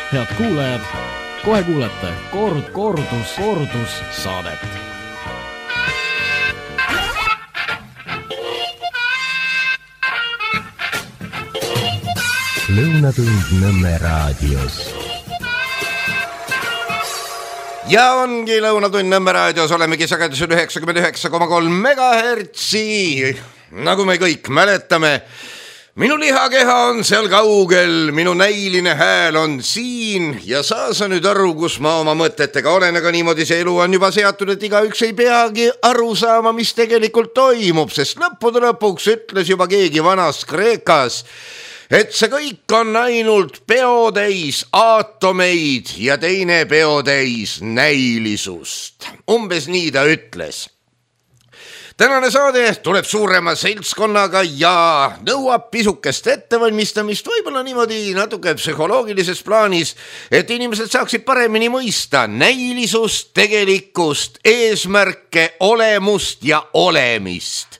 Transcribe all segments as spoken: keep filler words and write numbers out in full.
Head kuulajad, kohe kuulete kord, kordus, kordus saadet. Lõunatund Nõmme raadios. Ja ongi Lõunatund Nõmme raadios, olemegi sagedusel üheksakümmend üheksa koma kolm megahertsi. Nagu me kõik mäletame, minu lihakeha on seal kaugel, minu näiline hääl on siin ja saa sa nüüd aru, kus ma oma mõtetega olen, aga niimoodi see elu on juba seatud, et igaüks ei peagi aru saama, mis tegelikult toimub, sest lõppude lõpuks ütles juba keegi vanas Kreekas, et see kõik on ainult peotäis aatomeid ja teine peotäis näilisust. Umbes nii ta ütles. Tänane saade tuleb suurema seltskonnaga ja nõuab pisukest ettevalmistamist, võib-olla niimoodi natuke psühholoogilises plaanis, et inimesed saaksid paremini mõista näilisust, tegelikkust, eesmärke, olemust ja olemist.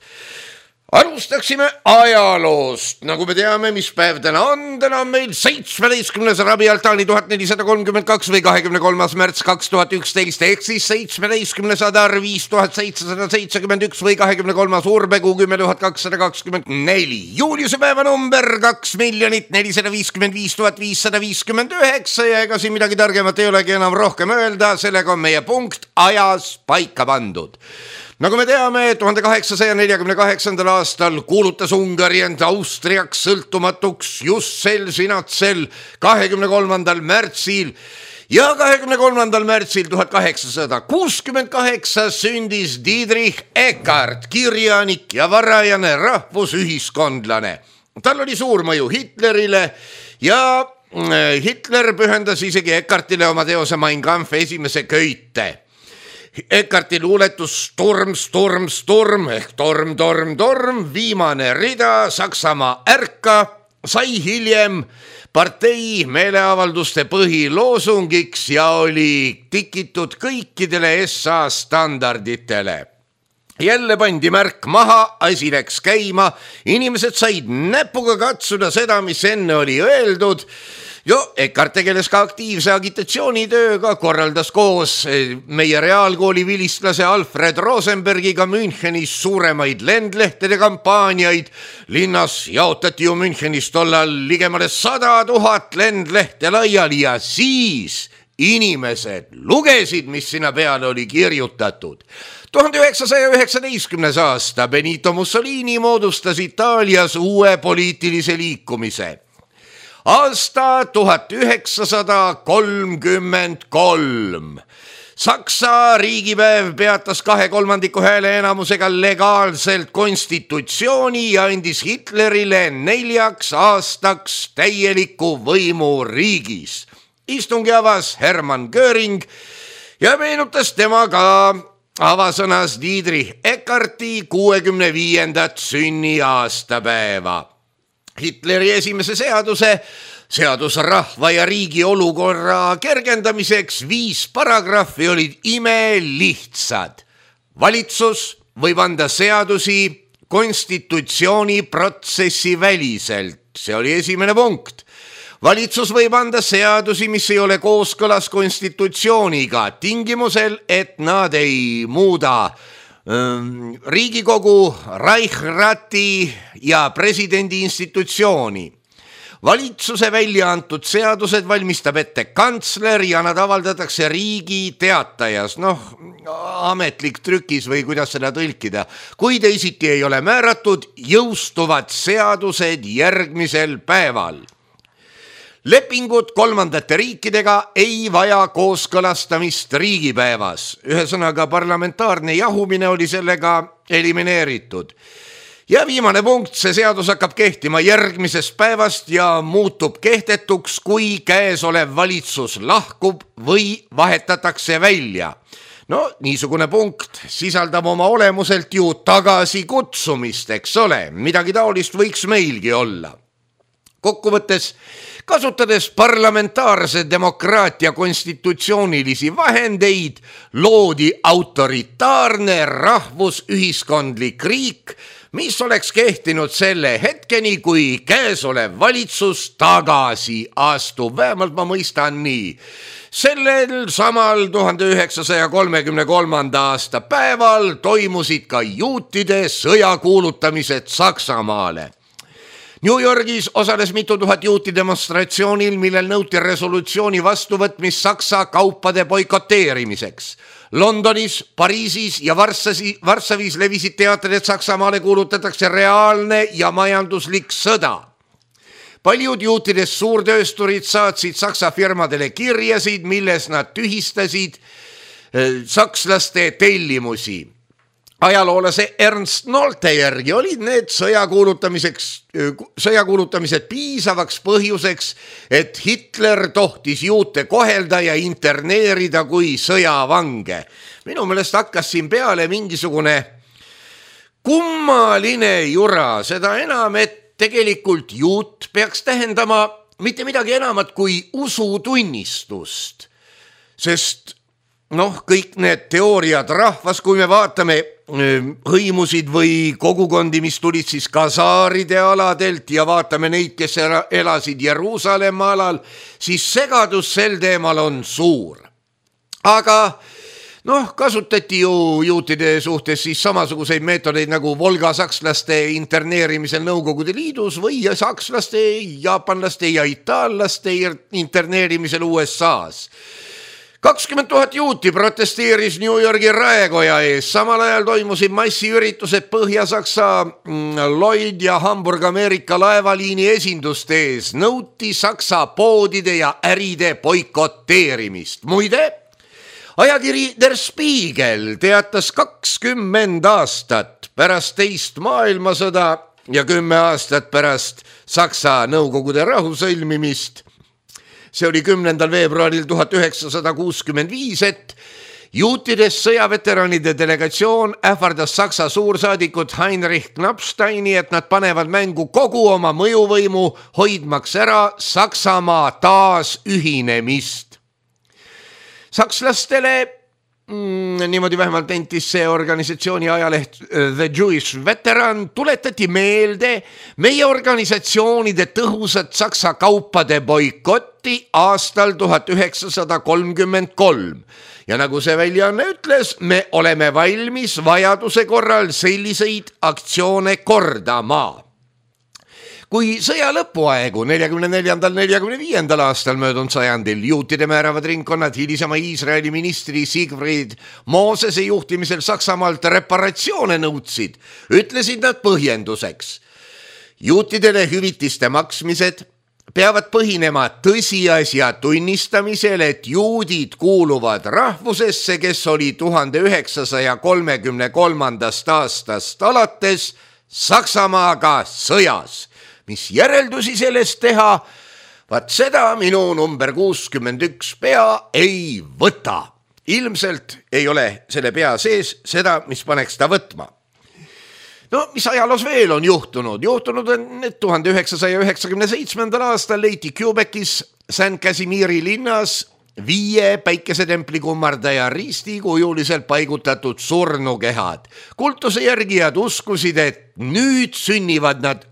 Alustaksime ajaloost. Nagu me teame, mis päev täna on, täna on meil seitsmeteistkümnes Rabi Altaani tuhat nelisada kolmkümmend kaks või kahekümne kolmas märts kaks tuhat üksteist ehk siis seitsmeteistkümnes Adar viis tuhat seitsesada seitsekümmend üks või kahekümne kolmas Urbekuu kümme tuhat kakssada kakskümmend neli. Juuliuse päeva number kaks miljonit nelisada viiskümmend viis tuhat viissada viiskümmend üheksa ja ega siin midagi targemat ei olegi enam rohkem öelda, sellega on meie punkt ajas paika pandud. Nagu me teame, tuhande kaheksasaja neljakümne kaheksandal aastal kuulutas Ungari end Austriaks sõltumatuks just sel sinatsel kahekümne kolmandal märtsil ja kahekümne kolmandal märtsil tuhat kaheksasada kuuskümmend kaheksa sündis Dietrich Eckart, kirjanik ja varajane rahvusühiskondlane. Tal oli suur mõju Hitlerile ja Hitler pühendas isegi Eckartile oma teose Mein Kampf esimese köite. Eckarti luuletus Sturm, Sturm, Sturm ehk torm, torm, torm, viimane rida Saksamaa ärka sai hiljem partei meeleavalduste põhiloosungiks ja oli tikitud kõikidele S A standarditele. Jälle pandi märk maha, asi läks käima, inimesed said näpuga katsuda seda, mis enne oli öeldud. Jo, Eckart tegeles ka aktiivse agitatsioonitööga, korraldas koos meie reaalkooli vilistlase Alfred Rosenbergiga Münchenis suuremaid lendlehtede kampaaniaid. Linnas jaotati ju Münchenis tollal ligemale sada tuhat lendlehte laiali ja siis inimesed lugesid, mis sinna peale oli kirjutatud. tuhande üheksasaja üheksateistkümnes aasta Benito Mussolini moodustas Itaalias uue poliitilise liikumise. Aasta tuhat üheksasada kolmkümmend kolm. Saksa riigipäev peatas kahe kolmandiku hääle enamusega legaalselt konstitutsiooni ja andis Hitlerile neljaks aastaks täieliku võimu riigis. Istungi avas Hermann Göring ja meenutas tema ka avasõnas Dietrich Eckarti kuuekümne viiendat sünniaastapäeva. Hitleri esimese seaduse, seadus rahva ja riigi olukorra kergendamiseks viis paragrahvi olid imelihtsad. Valitsus võib anda seadusi konstitutsiooniprotsessi väliselt. See oli esimene punkt. Valitsus võib anda seadusi, mis ei ole kooskõlas konstitutsiooniga, tingimusel, et nad ei muuda Riigikogu, Reichsrati ja presidendi institutsiooni. Valitsuse välja antud seadused valmistab ette kantsler ja nad avaldatakse Riigi Teatajas, noh, ametlik trükis või kuidas seda tõlkida. Kui teisiti ei ole määratud, jõustuvad seadused järgmisel päeval. Lepingud kolmandate riikidega ei vaja kooskõlastamist riigipäevas. Ühesõnaga parlamentaarne jahumine oli sellega elimineeritud. Ja viimane punkt, see seadus hakkab kehtima järgmisest päevast ja muutub kehtetuks, kui käesolev valitsus lahkub või vahetatakse välja. No, niisugune punkt sisaldab oma olemuselt ju tagasi kutsumist, eks ole, midagi taolist võiks meilgi olla. Kokkuvõttes, kasutades parlamentaarse demokraatia konstitutsioonilisi vahendeid, loodi autoritaarne rahvusühiskondlik riik, mis oleks kehtinud selle hetkeni, kui käesolev valitsus tagasi astub. Vähemalt ma mõistan nii. Sellel samal tuhande üheksasaja kolmekümne kolmanda aasta päeval toimusid ka juutide sõjakuulutamised Saksamaale. New Yorgis osales mitu tuhat juuti demonstratsioonil, millel nõuti resolutsiooni vastuvõtmist Saksa kaupade boikoteerimiseks. Londonis, Pariisis ja Varssavis levisid teated, et Saksamaale kuulutatakse reaalne ja majanduslik sõda. Paljud juutidest suurtöösturid saatsid Saksa firmadele kirjasid, milles nad tühistasid sakslaste tellimusi. Ajaloolase Ernst Nolte järgi olid need sõjakuulutamiseks, sõjakuulutamised piisavaks põhjuseks, et Hitler tohtis juute kohelda ja interneerida kui sõjavange. Minu meelest hakkas siin peale mingisugune kummaline jura, seda enam, et tegelikult juut peaks tähendama mitte midagi enamat kui usutunnistust, sest noh, kõik need teooriad rahvas, kui me vaatame hõimusid või kogukondi, mis tulid siis kasaaride aladelt ja vaatame neid, kes elasid Jeruusalemma alal, siis segadus sel teemal on suur. Aga noh, kasutati ju juutide suhtes siis samasuguseid meetodeid nagu Volga sakslaste interneerimisel Nõukogude Liidus või sakslaste, jaapanlaste ja itaallaste interneerimisel U S A-s. kakskümmend tuhat juuti protesteeris New Yorgi raekoja ees. Samal ajal toimusid massiüritused Põhja-Saksa Lloyd ja Hamburg-Ameerika laevaliini esinduste ees. Nõuti Saksa poodide ja äride boikoteerimist. Muide, ajakiri Der Spiegel teatas kakskümmend aastat pärast teist maailmasõda ja kümme aastat pärast Saksa Nõukogude rahu sõlmimist. See oli kümnendal veebruaril tuhat üheksasada kuuskümmend viis, et juutidest sõjaveteranide delegatsioon ähvardas Saksa suursaadikut Heinrich Knappsteini, et nad panevad mängu kogu oma mõjuvõimu, hoidmaks ära Saksamaa taas ühinemist. Sakslastele, mm, niimoodi vähemalt nentis see organisatsiooni ajaleht The Jewish Veteran, tuletati meelde meie organisatsioonide tõhusat Saksa kaupade boikotti aastal tuhat üheksasada kolmkümmend kolm. Ja nagu see väljaanne ütles, me oleme valmis vajaduse korral selliseid aktsioone kordama. Kui sõja lõpuaegu neljakümne neljandal neljakümne viiendal aastal möödunud sajandil juutide määravad ringkonnad hilisema Iisraeli ministri Siegfried Mosese juhtimisel Saksamaalt reparatsioone nõudsid, ütlesid nad põhjenduseks. Juutidele hüvitiste maksmised peavad põhinema tõsiasja tunnistamisel, et juudid kuuluvad rahvusesse, kes oli tuhande üheksasaja kolmekümne kolmandast aastast alates Saksamaaga sõjas. Mis järeldusi sellest teha, vaat seda minu number kuuskümmend üks pea ei võta. Ilmselt ei ole selle pea sees seda, mis paneks ta võtma. No, mis ajaloos veel on juhtunud? Juhtunud on, et tuhande üheksasaja üheksakümne seitsmendal aastal leiti Quebec'is Saint Casimiri linnas viie päikesetempli kummardaja risti kujuliselt paigutatud surnukehad. Kultuse järgijad uskusid, et nüüd sünnivad nad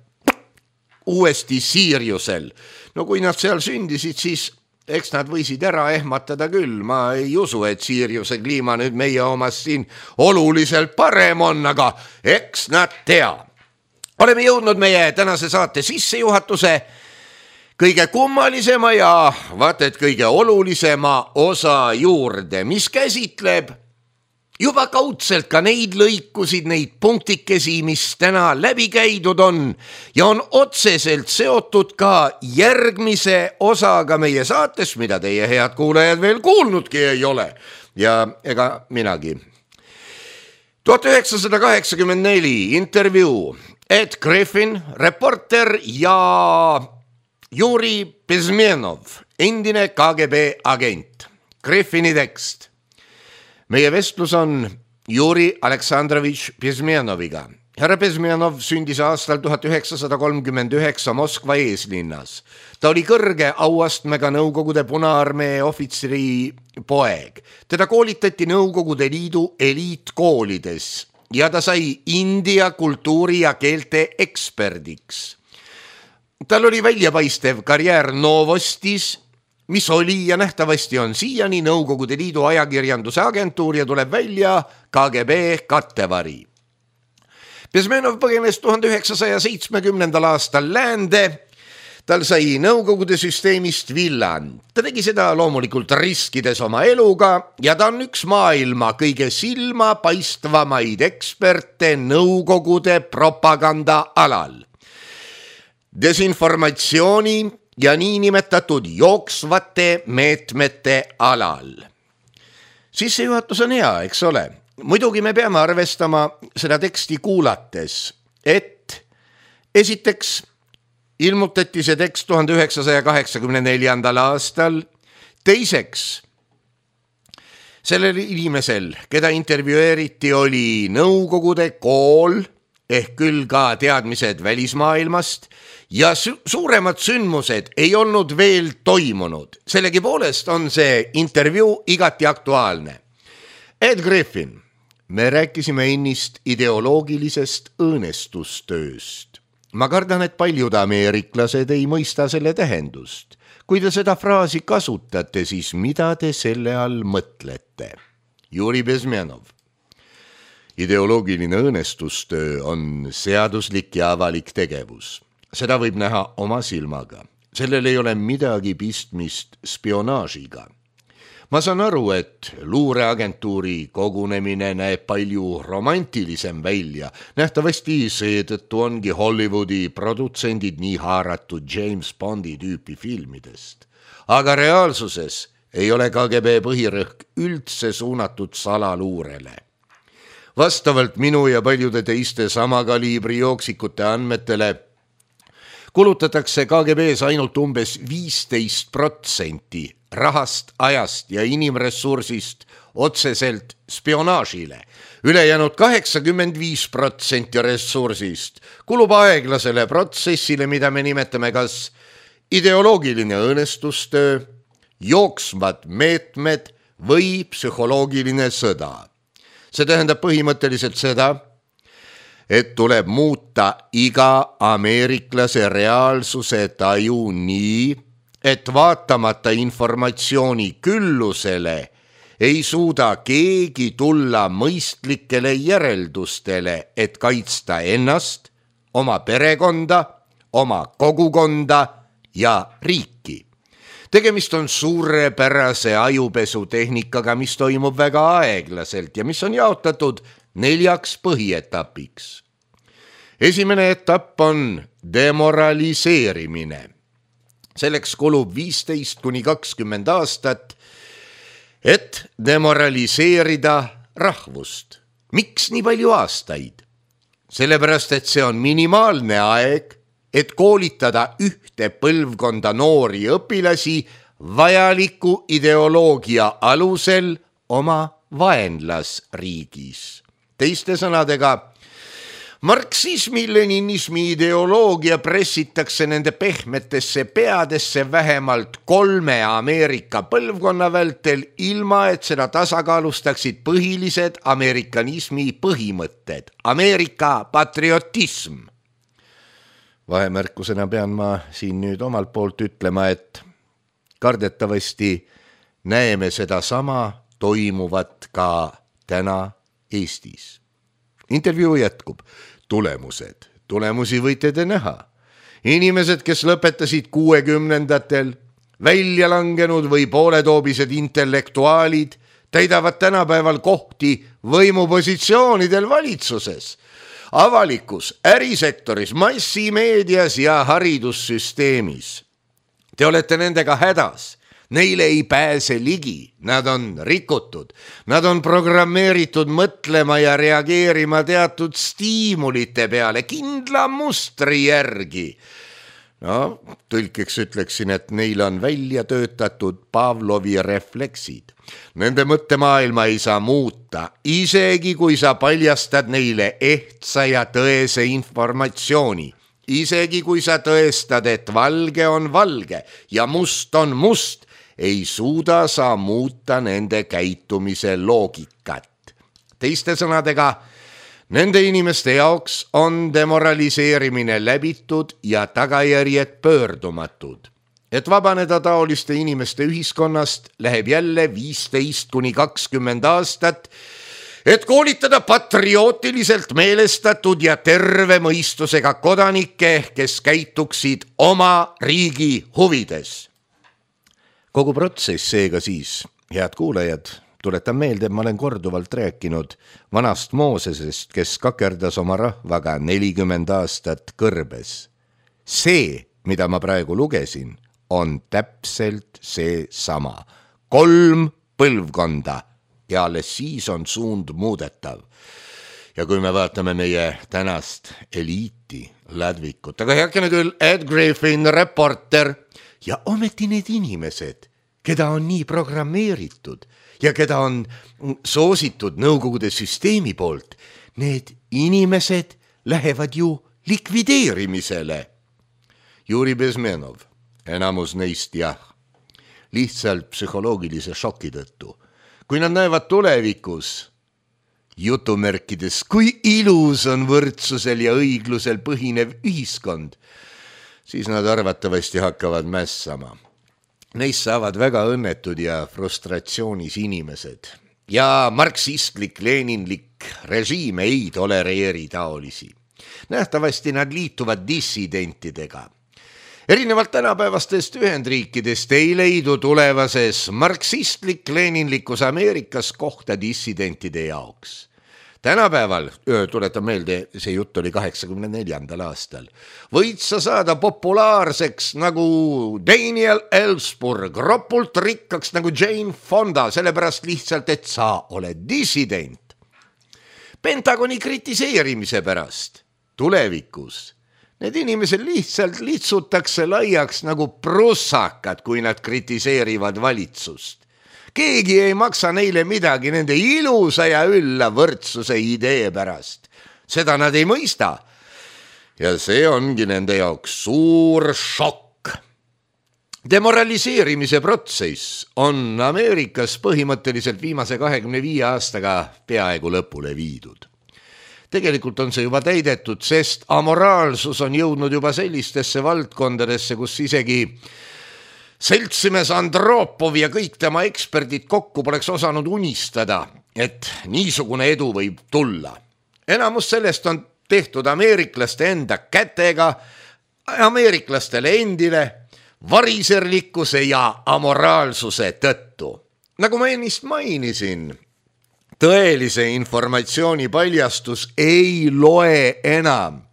uuesti Siiriusel. No kui nad seal sündisid, siis eks nad võisid ära ehmatada küll. Ma ei usu, et Siiriuse kliima nüüd meie omast siin oluliselt parem on, aga eks nad tea. Oleme jõudnud meie tänase saate sissejuhatuse kõige kummalisema ja vaat et kõige olulisema osa juurde, mis käsitleb juba kaudselt ka neid lõikusid, neid punktikesi, mis täna läbi käidud on ja on otseselt seotud ka järgmise osaga meie saates, mida teie head kuulajad veel kuulnudki ei ole ja ega minagi. tuhat üheksasada kaheksakümmend neli intervjuu Ed Griffin, reporter ja Juri Bezmenov, endine K G B agent. Griffini tekst. Meie vestlus on Juri Aleksandrovitš Bezmenoviga. Härra Bezmenov sündis aastal tuhat üheksasada kolmkümmend üheksa Moskva eeslinnas. Ta oli kõrge auastmega Nõukogude Punaarmee ohvitseri poeg. Teda koolitati Nõukogude Liidu eliitkoolides ja ta sai India kultuuri ja keelte eksperdiks. Tal oli väljapaistev karjäär Novostis, mis oli ja nähtavasti on siiani Nõukogude Liidu ajakirjanduse agentuur ja tuleb välja K G B kattevari. Bezmenov põgenes tuhande üheksasaja seitsmekümnendal aastal läände. Tal sai Nõukogude süsteemist villan. Ta tegi seda loomulikult riskides oma eluga ja ta on üks maailma kõige silma paistvamaid eksperte Nõukogude propaganda alal. Desinformatsiooni ja niinimetatud jooksvate meetmete alal. Sissejuhatus on hea, eks ole. Muidugi me peame arvestama seda teksti kuulates, et esiteks ilmutati see tekst tuhande üheksasaja kaheksakümne neljandal aastal, teiseks sellel inimesel, keda intervjueeriti, oli Nõukogude kool ehk küll ka teadmised välismaailmast ja su- suuremad sündmused ei olnud veel toimunud. Sellegi poolest on see intervjuu igati aktuaalne. Ed Griffin, me rääkisime ennist ideoloogilisest õõnestustööst. Ma kardan, et paljud ameeriklased ei mõista selle tähendust. Kui te seda fraasi kasutate, siis mida te selle all mõtlete? Juri Bezmenov. Ideoloogiline õõnestustöö on seaduslik ja avalik tegevus. Seda võib näha oma silmaga. Sellel ei ole midagi pistmist spionaažiga. Ma saan aru, et luureagentuuri kogunemine näeb palju romantilisem välja. Nähtavasti seetõttu ongi Hollywoodi produtsendid nii haaratud James Bondi tüüpi filmidest. Aga reaalsuses ei ole K G B põhirõhk üldse suunatud salaluurele. Vastavalt minu ja paljude teiste sama kaliibri jooksikute andmetele kulutatakse K G B-s ainult umbes viisteist protsenti rahast, ajast ja inimressursist otseselt spionaažile. Ülejäänud kaheksakümmend viis protsenti ressursist kulub aeglasele protsessile, mida me nimetame kas ideoloogiline õõnestustöö, jooksvad meetmed või psühholoogiline sõda. See tähendab põhimõtteliselt seda, et tuleb muuta iga ameeriklase reaalsuse taju nii, et vaatamata informatsiooni küllusele ei suuda keegi tulla mõistlikele järeldustele, et kaitsta ennast, oma perekonda, oma kogukonda ja riiki. Tegemist on suurepärase ajupesutehnikaga, mis toimub väga aeglaselt ja mis on jaotatud neljaks põhietapiks. Esimene etapp on demoraliseerimine. Selleks kulub viisteist kuni kakskümmend aastat, et demoraliseerida rahvust. Miks nii palju aastaid? Sellepärast, et see on minimaalne aeg, et koolitada ühte põlvkonda noori õpilasi vajaliku ideoloogia alusel oma vaenlasriigis. Teiste sõnadega, marksismi, leninismi ideoloogia pressitakse nende pehmetesse peadesse vähemalt kolme Ameerika põlvkonna vältel, ilma et seda tasakaalustaksid põhilised amerikanismi põhimõtted, Ameerika patriotism. Vahemärkusena pean ma siin nüüd omalt poolt ütlema, et kardetavasti näeme seda sama toimuvat ka täna Eestis. Intervjuu jätkub. Tulemused. Tulemusi võite te näha. Inimesed, kes lõpetasid kuuekümnendatel, välja langenud või pooletoobised intellektuaalid, täidavad tänapäeval kohti võimupositsioonidel valitsuses, avalikus, ärisektoris, massimeedias ja haridussüsteemis. Te olete nendega hädas. Neile ei pääse ligi, nad on rikutud, nad on programmeeritud mõtlema ja reageerima teatud stiimulite peale, kindla mustri järgi. No, tõlkeks ütleksin, et neil on välja töötatud Pavlovi refleksid. Nende mõttemaailma ei saa muuta, isegi kui sa paljastad neile ehtsa ja tõese informatsiooni. Isegi kui sa tõestad, et valge on valge ja must on must, ei suuda sa muuta nende käitumise loogikat. Teiste sõnadega, Nende inimeste jaoks on demoraliseerimine läbitud ja tagajärjed pöördumatud. Et vabaneda taoliste inimeste ühiskonnast läheb jälle viisteist kuni kakskümmend aastat, et koolitada patriootiliselt meelestatud ja terve mõistusega kodanikke, kes käituksid oma riigi huvides. Kogu protsess seega siis, head kuulajad, tuletan meelde, et ma olen korduvalt rääkinud vanast Moosesest, kes kakerdas oma rahvaga nelikümmend aastat kõrbes. See, mida ma praegu lugesin, on täpselt see sama. Kolm põlvkonda ja alles siis on suund muudetav. Ja kui me vaatame meie tänast eliiti, Ladvikut, aga heakene küll Ed Griffin, reporter, ja ometi need inimesed, keda on nii programmeeritud ja keda on soositud Nõukogude süsteemi poolt, need inimesed lähevad ju likvideerimisele. Juri Bezmenov, enamus neist jah, lihtsalt psühholoogilise šoki tõttu. Kui nad näevad tulevikus, jutumärkides, kui ilus on võrdsusel ja õiglusel põhinev ühiskond, siis nad arvatavasti hakkavad mässama. Neist saavad väga õnnetud ja frustratsioonis inimesed. Ja marksistlik, leninlik režiim ei tolereeri taolisi. Nähtavasti nad liituvad dissidentidega. Erinevalt tänapäevastest Ühendriikidest ei leidu tulevases marksistlik-leninlikus Ameerikas kohta dissidentide jaoks. Tänapäeval, tuletan meelde, see jutt oli kaheksakümne neljandal aastal, võid sa saada populaarseks nagu Daniel Ellsberg, ropult rikkaks nagu Jane Fonda, sellepärast lihtsalt, et sa oled dissident. Pentagoni kritiseerimise pärast tulevikus need inimesed lihtsalt litsutakse laiaks nagu prussakad, kui nad kritiseerivad valitsust. Keegi ei maksa neile midagi nende ilusa ja ülla võrdsuse idee pärast. Seda nad ei mõista. Ja see ongi nende jaoks suur šokk. Demoraliseerimise protsess on Ameerikas põhimõtteliselt viimase kahekümne viie aastaga peaaegu lõpule viidud. Tegelikult on see juba täidetud, sest amoraalsus on jõudnud juba sellistesse valdkondadesse, kus isegi seltsimees Andropov ja kõik tema eksperdid kokku poleks osanud unistada, et niisugune edu võib tulla. Enamus sellest on tehtud ameeriklaste enda kätega, ameeriklastele endile, variserlikkuse ja amoraalsuse tõttu. Nagu ma ennist mainisin, tõelise informatsiooni paljastus ei loe enam.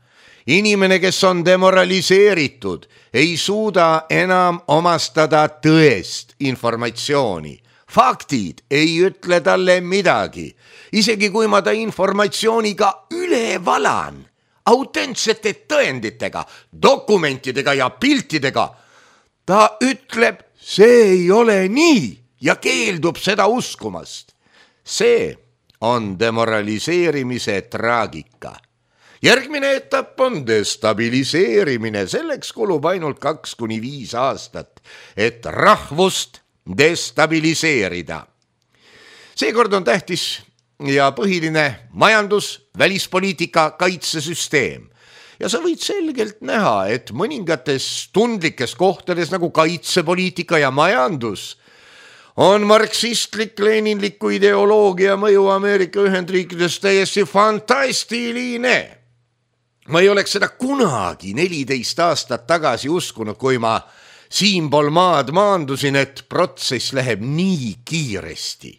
Inimene, kes on demoraliseeritud, ei suuda enam omastada tõest informatsiooni. Faktid ei ütle talle midagi. Isegi kui ma ta informatsiooniga üle valan, autentsete tõenditega, dokumentidega ja piltidega, ta ütleb, see ei ole nii ja keeldub seda uskumast. See on demoraliseerimise traagika. Järgmine etapp on destabiliseerimine. Selleks kulub ainult kaks kuni viis aastat, et rahvust destabiliseerida. Seekord on tähtis ja põhiline majandus, välispoliitika, kaitsesüsteem. Ja sa võid selgelt näha, et mõningates tundlikes kohtades nagu kaitsepoliitika ja majandus on marksistlik-leninliku ideoloogia mõju Ameerika Ühendriikides täiesti fantastiline. Ma ei oleks seda kunagi neliteist aastat tagasi uskunud, kui ma siinpool maad maandusin, et protsess läheb nii kiiresti.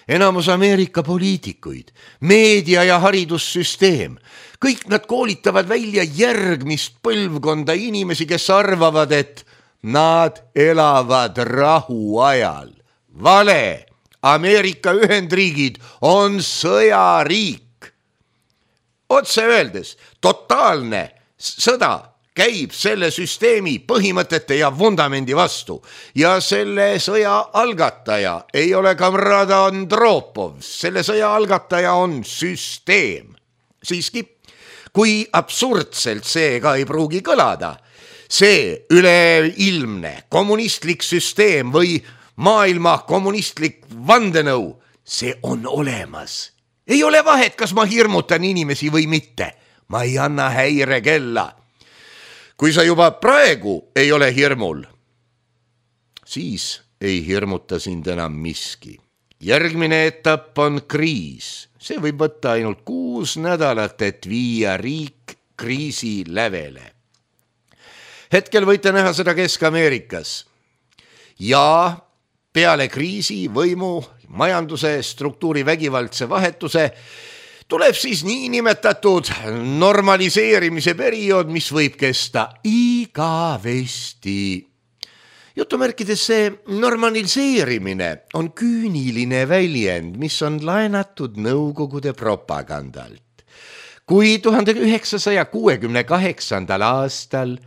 Enamus Ameerika poliitikuid, meedia ja haridussüsteem, kõik nad koolitavad välja järgmist põlvkonda inimesi, kes arvavad, et nad elavad rahu ajal. Vale, Ameerika Ühendriigid on sõjariik. Otse öeldes, totaalne sõda käib selle süsteemi põhimõtete ja vundamendi vastu ja selle sõja algataja ei ole kamraad Andropov, selle sõja algataja on süsteem. Siiski, kui absurdselt see ka ei pruugi kõlada, see üleilmne kommunistlik süsteem või maailma kommunistlik vandenõu, see on olemas ei ole vahet, kas ma hirmutan inimesi või mitte. Ma ei anna häirekella. Kui sa juba praegu ei ole hirmul, siis ei hirmuta sind enam miski. Järgmine etapp on kriis. See võib võtta ainult kuus nädalat, et viia riik kriisi lävele. Hetkel võite näha seda Kesk-Ameerikas. Ja peale kriisi võimu, majanduse struktuuri vägivaldse vahetuse tuleb siis niinimetatud normaliseerimise periood, mis võib kesta igavesti. Jutumärkides see normaliseerimine on küüniline väljend, mis on laenatud Nõukogude propagandalt. Kui tuhande üheksasaja kuuekümne kaheksandal aastal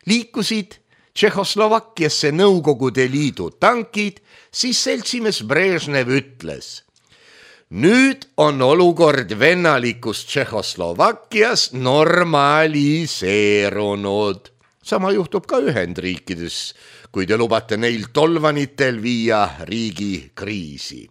liikusid Tšehhoslovakkiasse Nõukogude Liidu tankid, siis seltsimees Brežnev ütles: nüüd on olukord vennalikus Tšehhoslovakkias normaliseerunud. Sama juhtub ka Ühendriikides, kui te lubate neil tolvanitel viia riigi kriisi.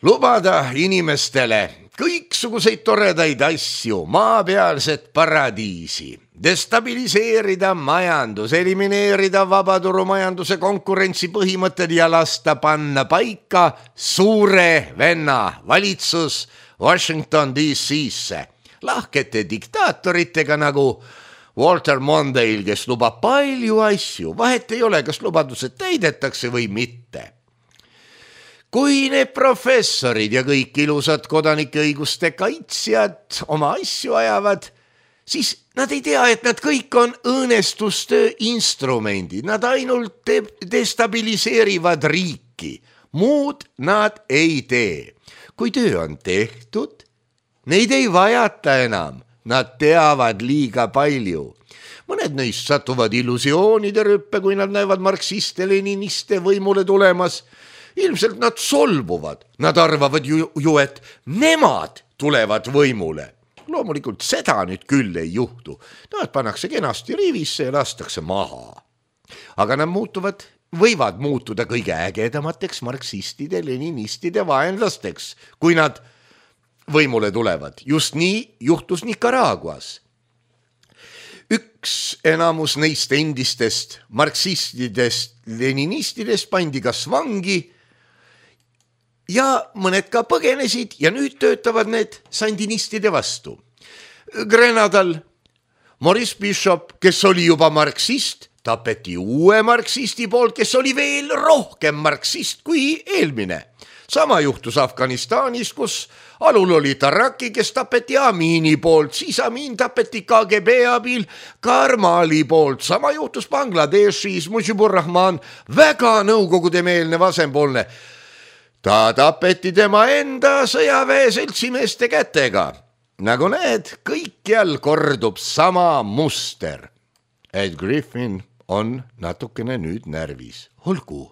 Lubada inimestele kõiksuguseid toredaid asju, maapealset paradiisi, destabiliseerida majandus, elimineerida vabaturumajanduse konkurentsi põhimõtted ja lasta panna paika suure venna valitsus Washington D C-sse lahkete diktaatoritega nagu Walter Mondale, kes lubab palju asju, vahet ei ole, kas lubadused täidetakse või mitte. Kui need professorid ja kõik ilusad kodanike õiguste kaitsjad oma asju ajavad, siis nad ei tea, et nad kõik on õõnestustöö instrumendid, nad ainult destabiliseerivad riiki, muud nad ei tee. Kui töö on tehtud, neid ei vajata enam. Nad teavad liiga palju. Mõned neist satuvad illusioonide rüppe, kui nad näevad marksiste-leniniste võimule tulemas. Ilmselt nad solvuvad. Nad arvavad ju, ju, et nemad tulevad võimule. Loomulikult seda nüüd küll ei juhtu. Nad pannakse kenasti rivisse ja lastakse maha. Aga nad muutuvad, võivad muutuda kõige ägedamateks marksistide, leninistide vaenlasteks, kui nad võimule tulevad. Just nii juhtus Nicaraguas. Üks enamus neist endistest marksistidest, leninistidest pandi kas vangi ja mõned ka põgenesid ja nüüd töötavad need sandinistide vastu. Grenadal Maurice Bishop, kes oli juba marksist, tapeti uue marksisti poolt, kes oli veel rohkem marksist kui eelmine. Sama juhtus Afganistanis, kus alul oli Taraki, kes tapeti Amini poolt, siis Amin tapeti K G B abil Karmali poolt. Sama juhtus Bangladeshis, Mujibur Rahman, väga nõukogudemeelne vasempoolne. Ta tapeti tema enda sõjaväe seltsimeeste kätega. Nagu näed, kõikjal kordub sama muster. Ed Griffin on natukene nüüd närvis. Olgu,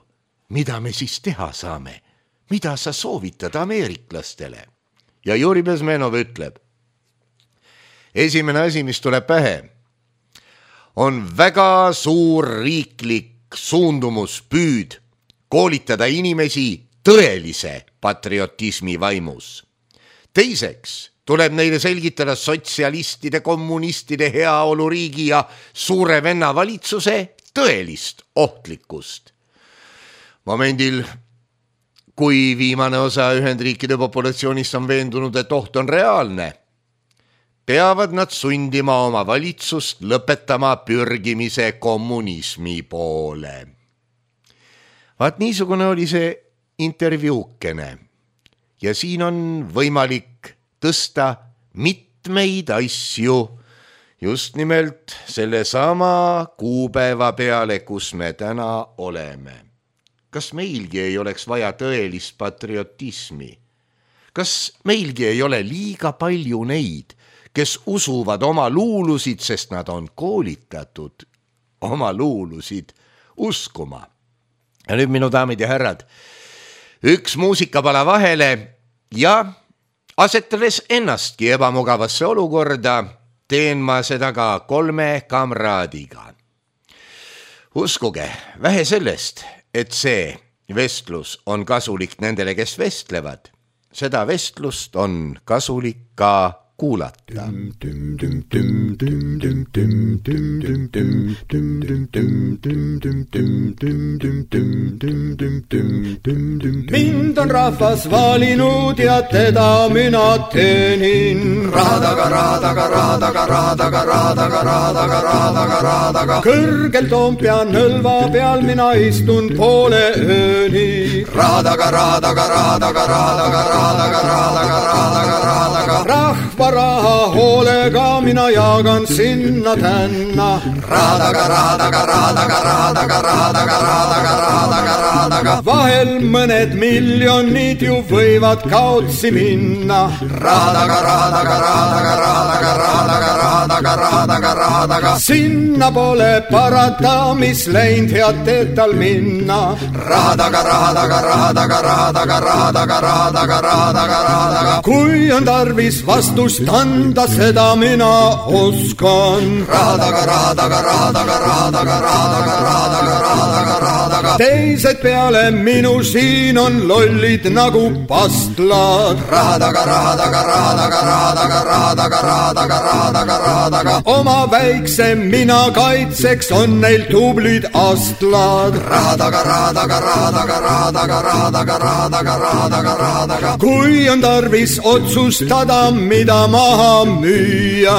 mida me siis teha saame? Mida sa soovitad ameeriklastele? Ja Juri Bezmenov ütleb, esimene asi, mis tuleb pähe, on väga suur riiklik suundumus püüd koolitada inimesi tõelise patriotismi vaimus. Teiseks tuleb neile selgitada sotsialistide, kommunistide heaoluriigi ja suure venna valitsuse tõelist ohtlikkust. Momendil, kui viimane osa Ühendriikide populatsioonist on veendunud, et oht on reaalne, peavad nad sundima oma valitsust lõpetama pürgimise kommunismi poole. Vaat niisugune oli see intervjuukene ja siin on võimalik tõsta mitmeid asju just nimelt selle sama kuupäeva peale, kus me täna oleme. Kas meilgi ei oleks vaja tõelist patriotismi? Kas meilgi ei ole liiga palju neid, kes usuvad oma luulusid, sest nad on koolitatud oma luulusid uskuma? Ja nüüd minu daamid ja härrad, üks muusikapala vahele ja asetades ennastki ebamugavasse olukorda, teen ma seda ka kolme kamraadiga. Uskuge, vähe sellest, et see vestlus on kasulik nendele, kes vestlevad. seda vestlust on kasulik ka kuulata. Mind on rahvas valinud ja teda mina teenin. Raadaga, raadaga, raadaga, raadaga, raadaga, raadaga, raadaga, raadaga. Kõrgel Toompea nõlva peal mina istun poole ööni. Raadaga, raadaga, raadaga, raadaga, raadaga, raadaga, raadaga, raadaga. Rahva raha hoolega mina jaagan sinna tänna. Raadaga, raadaga, raadaga, raadaga, raadaga, raadaga, raadaga, raadaga. Vahel mõned miljonid ju võivad kaotsi minna. Raadaga, raadaga, raadaga, raadaga, raadaga, raadaga, raadaga, raadaga. Sinna pole parata, mis läinud head teed tal minna. Raadaga, raadaga, raadaga, raadaga, raadaga, raadaga, raadaga, raadaga. Kui on tarvis vastust anda, seda mina oskan. Raadaga, raadaga, raadaga, raadaga, raadaga, raadaga, raadaga, raadaga. Teised peale minu siin on lollid nagu pastlad. Raadaga, raadaga, raadaga, raadaga, raadaga, raadaga, raadaga, raadaga. Oma väikse mina kaitseks on neil tublid astlad. Raadaga, raadaga, raadaga, raadaga, raadaga, raadaga, raadaga, raadaga. Kui on tarvis otsustada, mida maha müüa.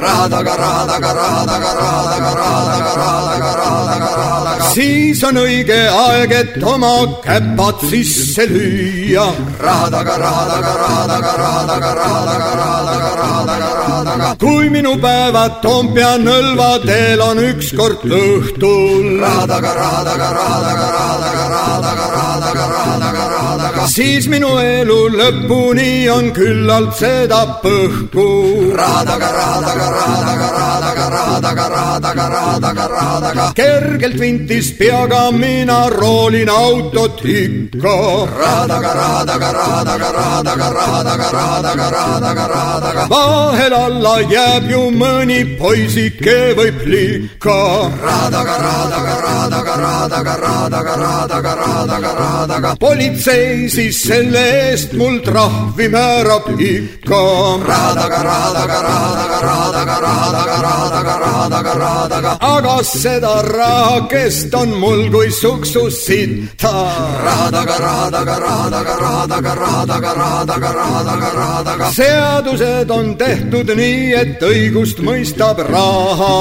Raadaga, raadaga, raadaga, raadaga, raadaga, raadaga, raadaga, raadaga. Siis on õige aeg, et oma käpad sisse lüüa. Raadaga, raadaga, raadaga, raadaga, raadaga, raadaga, raadaga, raadaga. Kui minu päevad Toompea nõlva teel on ükskord õhtul. Raadaga, raadaga, raadaga, raadaga, raadaga, raadaga, raadaga, raadaga. Siis minu elu lõpuni on küllalt seda põhku. Raadaga, raadaga, raadaga, raadaga, raadaga, raadaga, raadaga, raadaga. Kergelt vintis peaga mina roolin autot ikka. Raadaga, raadaga, raadaga, raadaga, raadaga, raadaga, raadaga, raadaga. Vahel alla jääb ju mõni poisike või plika. Raadaga, raadaga, raadaga, raadaga, raadaga, raadaga, raadaga, raadaga. Politsei siis selle eest mul trahvi määrab ikka. Raadaga, raadaga, raadaga, raadaga, raadaga, raadaga, raadaga, raadaga. Aga seda rahakest on mul kui suksu sitta. Raadaga, raadaga, raadaga, raadaga, raadaga, raadaga, raadaga, raadaga. Seadused on tehtud nii, et õigust mõistab raha.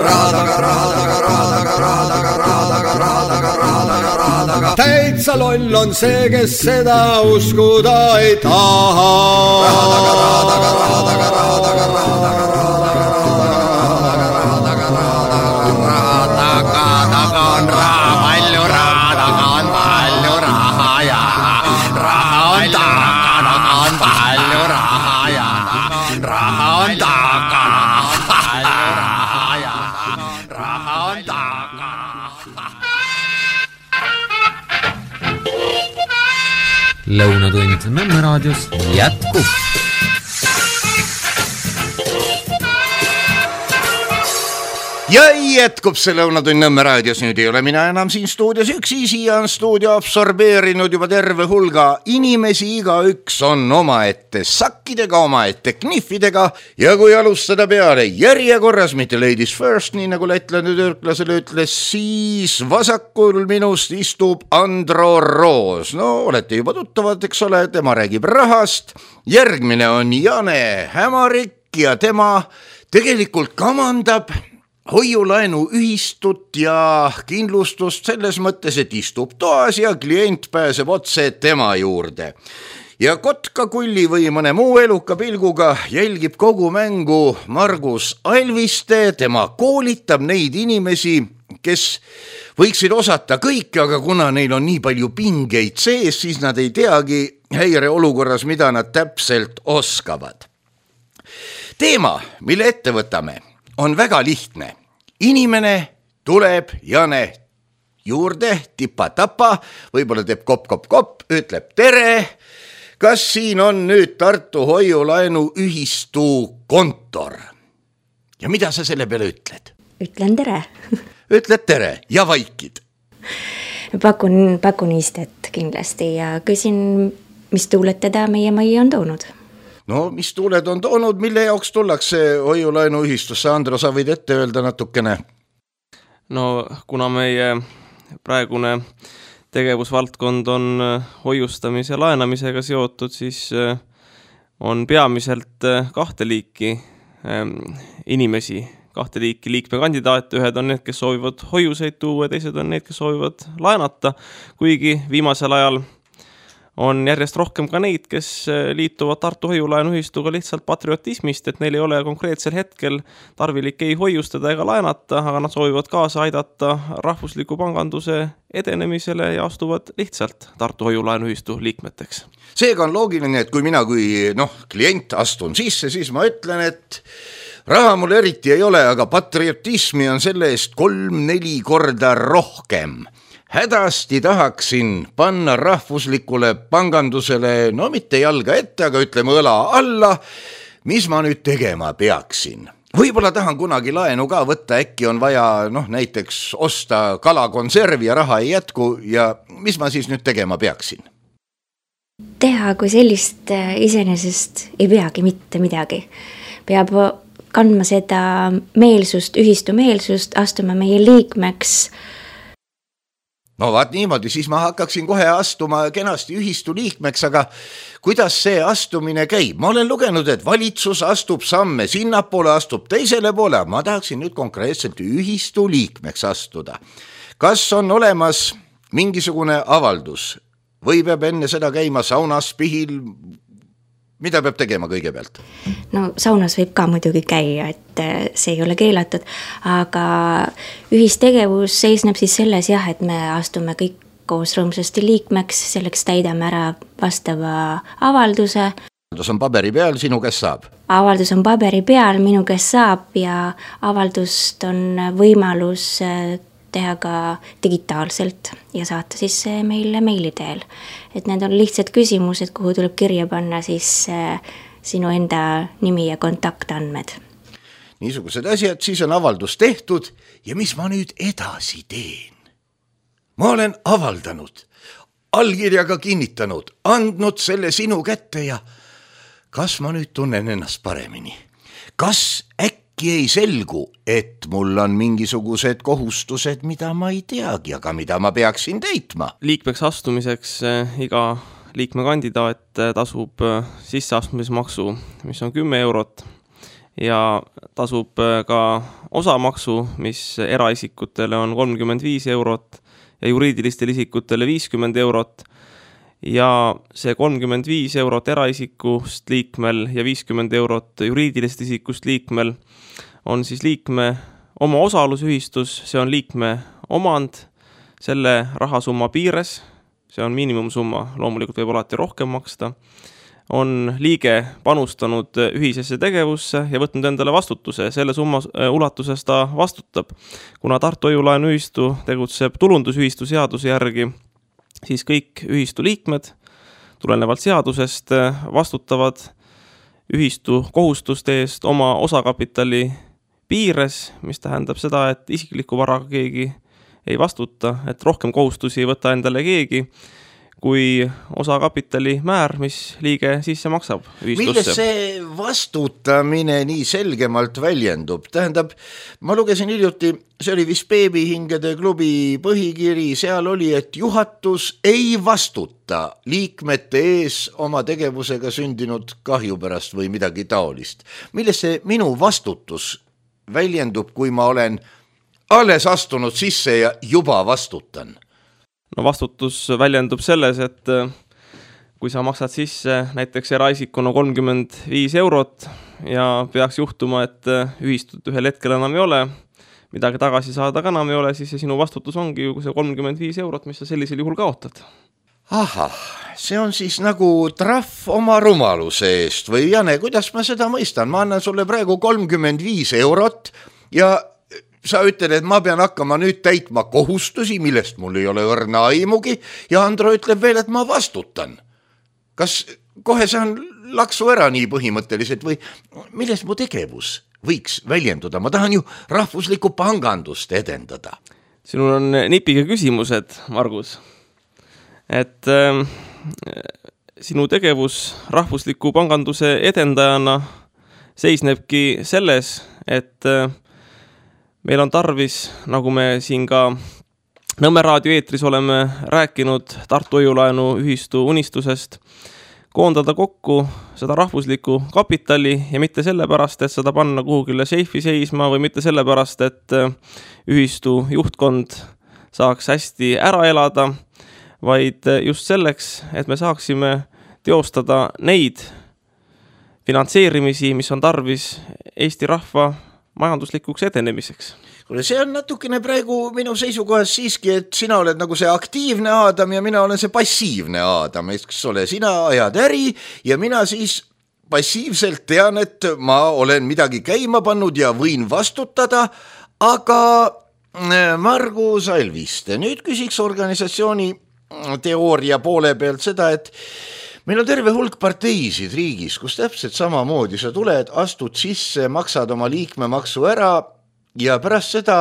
Raadaga, raadaga, raadaga, raadaga, raadaga, raadaga, raadaga, raadaga. Täitsa loll on see, kes seda uskuda ei taha. Raadaga, raadaga, raadaga, raadaga, raadaga, raadaga, raadaga, raadaga, raadaga, raadaga, taga on raha palju, raadaga on palju raha ja raha on taga, taga on palju raha ja raha on taga, palju raha ja raha on taga. Lõunatund Nõmme raadios jätkub. Ja jätkub see Lõunatund Nõmme raadios, nüüd ei ole mina enam siin stuudios üksi, siia on stuudio absorbeerinud juba terve hulga inimesi, iga üks on omaette sakkidega, omaette kniffidega ja kui alustada peale järjekorras, mitte ladies first, nii nagu lätlane türklasele ütles, siis vasakul minust istub Andro Roos. No olete juba tuttavad, eks ole, tema räägib rahast. Järgmine on Jane Hämarik ja tema tegelikult kamandab hoiulaenu ühistut ja kindlustust selles mõttes, et istub toas ja klient pääseb otse tema juurde. Ja Kotka Kulli või mõne muu eluka pilguga jälgib kogu mängu Margus Alviste, tema koolitab neid inimesi, kes võiksid osata kõike, aga kuna neil on nii palju pingeid sees, siis nad ei teagi häireolukorras, mida nad täpselt oskavad. Teema, mille ette võtame, on väga lihtne. Inimene tuleb Jane juurde, tipa-tapa, võib-olla teeb kop-kop-kop, ütleb tere. Kas siin on nüüd Tartu hoiulaenu ühistu kontor? Ja mida sa selle peale ütled? Ütlen tere. Ütled tere ja vaikid. Pakun, pakun istet kindlasti ja küsin, mis tuuled teda meie majja on toonud. No mis tuuled on toonud, mille jaoks tullakse hoiulaenuühistusse? Andro, sa võid ette öelda natukene? No kuna meie praegune tegevusvaldkond on hoiustamise ja laenamisega seotud, siis on peamiselt kahte liiki inimesi, kahte liiki liikmekandidaate, ühed on need, kes soovivad hoiuseid tuua, teised on need, kes soovivad laenata, kuigi viimasel ajal on järjest rohkem ka neid, kes liituvad Tartu hoiulaenuühistuga lihtsalt patriotismist, et neil ei ole konkreetsel hetkel tarvilik ei hoiustada ega laenata, aga nad soovivad kaasa aidata rahvusliku panganduse edenemisele ja astuvad lihtsalt Tartu hoiulaenuühistu liikmeteks. Seega on loogiline, et kui mina kui noh, klient astun sisse, siis ma ütlen, et raha mul eriti ei ole, aga patriotismi on selle eest kolm-neli korda rohkem. Hädasti tahaksin panna rahvuslikule pangandusele, no mitte jalga ette, aga ütleme õla alla, mis ma nüüd tegema peaksin. Võib-olla tahan kunagi laenu ka võtta, äkki on vaja noh, näiteks osta kalakonservi ja raha ei jätku ja mis ma siis nüüd tegema peaksin? Teha kui sellist iseenesest ei peagi mitte midagi. Peab kandma seda meelsust, ühistu meelsust, astuma meie liikmeks. No vaat niimoodi, siis ma hakkaksin kohe astuma kenasti ühistu liikmeks, aga kuidas see astumine käib? Ma olen lugenud, et valitsus astub samme sinnapoole, astub teisele poole, ma tahaksin nüüd konkreetselt ühistu liikmeks astuda. Kas on olemas mingisugune avaldus või peab enne seda käima saunas, pihil? Mida peab tegema kõigepealt? No saunas võib ka muidugi käia, et see ei ole keelatud, aga ühistegevus seisneb siis selles jah, et me astume kõik koos rõõmsasti liikmeks, selleks täidame ära vastava avalduse. Avaldus on paberi peal, sinu kes saab? Avaldus on paberi peal, minu kes saab ja avaldust on võimalus teha ka digitaalselt ja saata siis meile meili teel. Et need on lihtsad küsimused, kuhu tuleb kirja panna siis sinu enda nimi ja kontaktandmed. Niisugused asjad, siis on avaldus tehtud ja mis ma nüüd edasi teen? Ma olen avaldanud, allkirjaga kinnitanud, andnud selle sinu kätte ja kas ma nüüd tunnen ennast paremini? Kas äkki ei selgu, et mul on mingisugused kohustused, mida ma ei teagi, aga mida ma peaksin täitma? Liikmeks astumiseks iga liikmekandidaat tasub sisseastumismaksu, mis on kümme eurot ja tasub ka osamaksu, mis eraisikutele on kolmkümmend viis eurot ja juriidilistele isikutele viiskümmend eurot ja see kolmkümmend viis eurot eraisikust liikmel ja viiskümmend eurot juriidilist isikust liikmel on siis liikme oma osalusühistus, see on liikme omand selle rahasumma piires, see on miinimumsumma, loomulikult võib alati rohkem maksta, on liige panustanud ühisesse tegevusse ja võtnud endale vastutuse, selle summa ulatuses ta vastutab. Kuna Tartu hoiulaenuühistu tegutseb tulundusühistu seaduse järgi, siis kõik ühistu liikmed tulenevalt seadusest vastutavad ühistu kohustuste eest oma osakapitali piires, mis tähendab seda, et isikliku varaga keegi ei vastuta, et rohkem kohustusi ei võta endale keegi, kui osakapitali määr, mis liige sisse maksab ühistusse. Milles see vastutamine nii selgemalt väljendub? Tähendab, ma lugesin hiljuti, see oli vist Beebihingede klubi põhikiri, seal oli, et juhatus ei vastuta liikmete ees oma tegevusega sündinud kahju pärast või midagi taolist. Milles see minu vastutus väljendub, kui ma olen alles astunud sisse ja juba vastutan? No vastutus väljendub selles, et kui sa maksad sisse näiteks eraisikuna kolmkümmend viis eurot ja peaks juhtuma, et ühistut ühel hetkel enam ei ole, midagi tagasi saada ka enam ei ole, siis see sinu vastutus ongi ju see kolmkümmend viis eurot, mis sa sellisel juhul kaotad. Ahah, see on siis nagu trahv oma rumaluse eest või Jane, kuidas ma seda mõistan? Ma annan sulle praegu kolmkümmend viis eurot ja sa ütled, et ma pean hakkama nüüd täitma kohustusi, millest mul ei ole õrna aimugi ja Andro ütleb veel, et ma vastutan. Kas kohe saan laksu ära nii põhimõtteliselt või milles mu tegevus võiks väljenduda? Ma tahan ju rahvuslikku pangandust edendada. Sinul on nipiga küsimused, Margus. Et äh, sinu tegevus rahvusliku panganduse edendajana seisnebki selles, et meil on tarvis, nagu me siin ka Nõmme raadio eetris oleme rääkinud Tartu hoiulaenu ühistu unistusest, koondada kokku seda rahvuslikku kapitali ja mitte sellepärast, et seda panna kuhugile seifi seisma või mitte sellepärast, et ühistu juhtkond saaks hästi ära elada, vaid just selleks, et me saaksime teostada neid finantseerimisi, mis on tarvis Eesti rahva majanduslikuks edenemiseks. Kuule, see on natukene praegu minu seisukohas siiski, et sina oled nagu see aktiivne Aadam ja mina olen see passiivne Aadam, eks ole, sina ajad äri ja mina siis passiivselt tean, et ma olen midagi käima pannud ja võin vastutada, aga Margus Alviste, nüüd küsiks organisatsiooni teooria poole pealt seda, et meil on terve hulk parteisid riigis, kus täpselt samamoodi sa tuled, astud sisse, maksad oma liikmemaksu ära ja pärast seda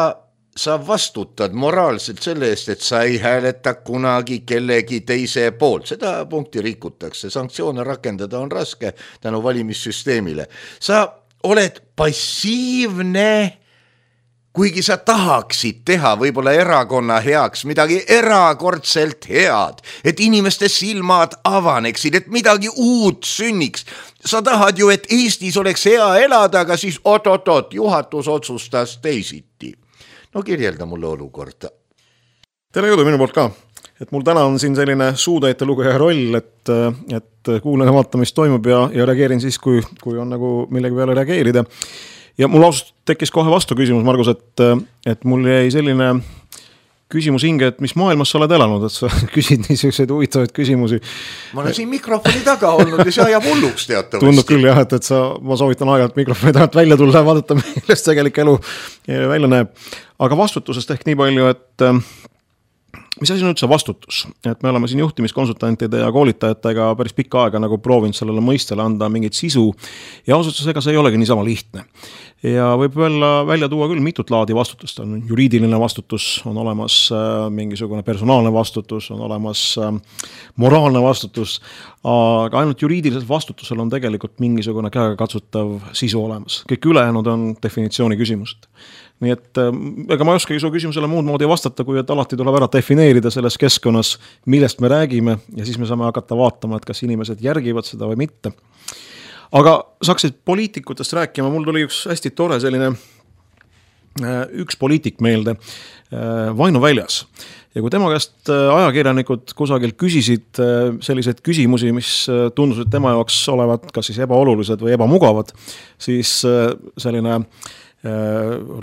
sa vastutad moraalselt selle eest, et sa ei hääleta kunagi kellegi teise poolt. Seda punkti rikutakse, sanktsioone rakendada on raske tänu valimissüsteemile. Sa oled passiivne, kuigi sa tahaksid teha võib-olla erakonna heaks midagi erakordselt head, et inimeste silmad avaneksid, et midagi uut sünniks. Sa tahad ju, et Eestis oleks hea elada, aga siis oot-oot-oot, juhatus otsustas teisiti. No kirjelda mulle olukorda. Tere jõudu minu poolt ka. Et mul täna on siin selline suutäite lugeja roll, et, et kuulen ja vaata, mis toimub ja, ja reageerin siis, kui, kui on nagu millegi peale reageerida. Ja mul ausalt tekkis kohe vastu küsimus, Margus, et, et mul jäi selline küsimus hinge, et mis maailmas sa oled elanud, et sa küsid niisuguseid huvitavaid küsimusi. Ma olen siin mikrofoni taga olnud ja see ajab hulluks teatavasti. Tundub küll jah, et, et sa, ma soovitan aeg-ajalt mikrofoni tagant välja tulla ja vaadata, millest tegelik elu välja näeb. Aga vastutusest ehk nii palju, et mis asi on üldse vastutus? Et me oleme siin juhtimiskonsultantide ja koolitajatega päris pikka aega nagu proovinud sellele mõistele anda mingit sisu ja ausalt ega see ei olegi niisama lihtne. Ja võib välja, välja tuua küll mitut laadi vastutust. On juriidiline vastutus, on olemas äh, mingisugune personaalne vastutus, on olemas äh, moraalne vastutus, aga ainult juriidilisel vastutusel on tegelikult mingisugune käega katsutav sisu olemas. Kõik ülejäänud on definitsiooni küsimused. Nii et ega ma ei oskagi su küsimusele muud moodi vastata, kui et alati tuleb ära defineerida selles keskkonnas, millest me räägime ja siis me saame hakata vaatama, et kas inimesed järgivad seda või mitte. Aga saaksid poliitikutest rääkima, mul tuli üks hästi tore selline üks poliitik meelde, Vaino Väljas. Ja kui tema käest ajakirjanikud kusagil küsisid selliseid küsimusi, mis tundusid tema jaoks olevat kas siis ebaolulised või ebamugavad, siis selline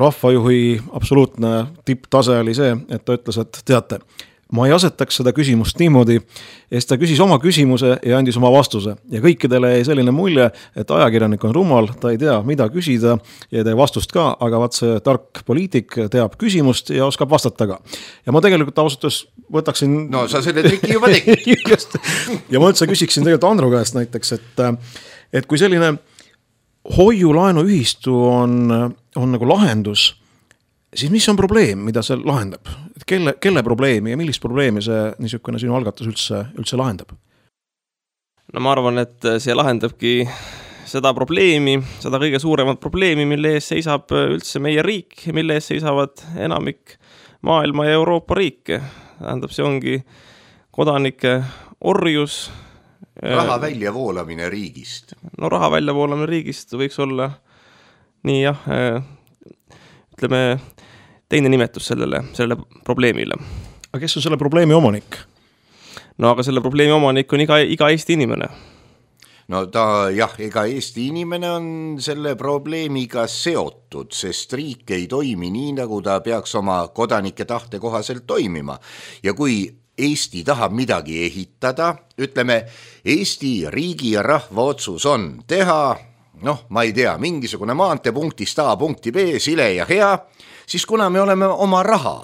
rahvajuhi absoluutne tipptase oli see, et ta ütles, et teate, ma ei asetaks seda küsimust niimoodi, et ta küsis oma küsimuse ja andis oma vastuse. Ja kõikidele jäi selline mulje, et ajakirjanik on rumal, ta ei tea, mida küsida ja ei tee vastust ka, aga vaat see tark poliitik teab küsimust ja oskab vastata ka. Ja ma tegelikult ausalt võtaksin... No sa selle triki juba tegid. Ja ma üldse küsiksin tegelikult Andru käest näiteks, et, et kui selline hoiulaenu ühistu on, on nagu lahendus, siis mis on probleem, mida see lahendab? Kelle, kelle probleemi ja millist probleemi see niisugune sinu algatus üldse, üldse lahendab? No ma arvan, et see lahendabki seda probleemi, seda kõige suuremat probleemi, mille ees seisab üldse meie riik, mille ees seisavad enamik maailma ja Euroopa riike. Tähendab, see ongi kodanike orjus. Raha väljavoolamine riigist. No raha väljavoolamine riigist võiks olla nii jah, ütleme teine nimetus sellele, sellele probleemile. Aga kes on selle probleemi omanik? No aga selle probleemi omanik on iga, iga Eesti inimene. No ta jah, ega Eesti inimene on selle probleemiga seotud, sest riik ei toimi nii, nagu ta peaks oma kodanike tahte kohaselt toimima. Ja kui Eesti tahab midagi ehitada, ütleme, Eesti riigi ja rahva otsus on teha, noh, ma ei tea, mingisugune maante punktist A punkti B, sile ja hea, siis kuna me oleme oma raha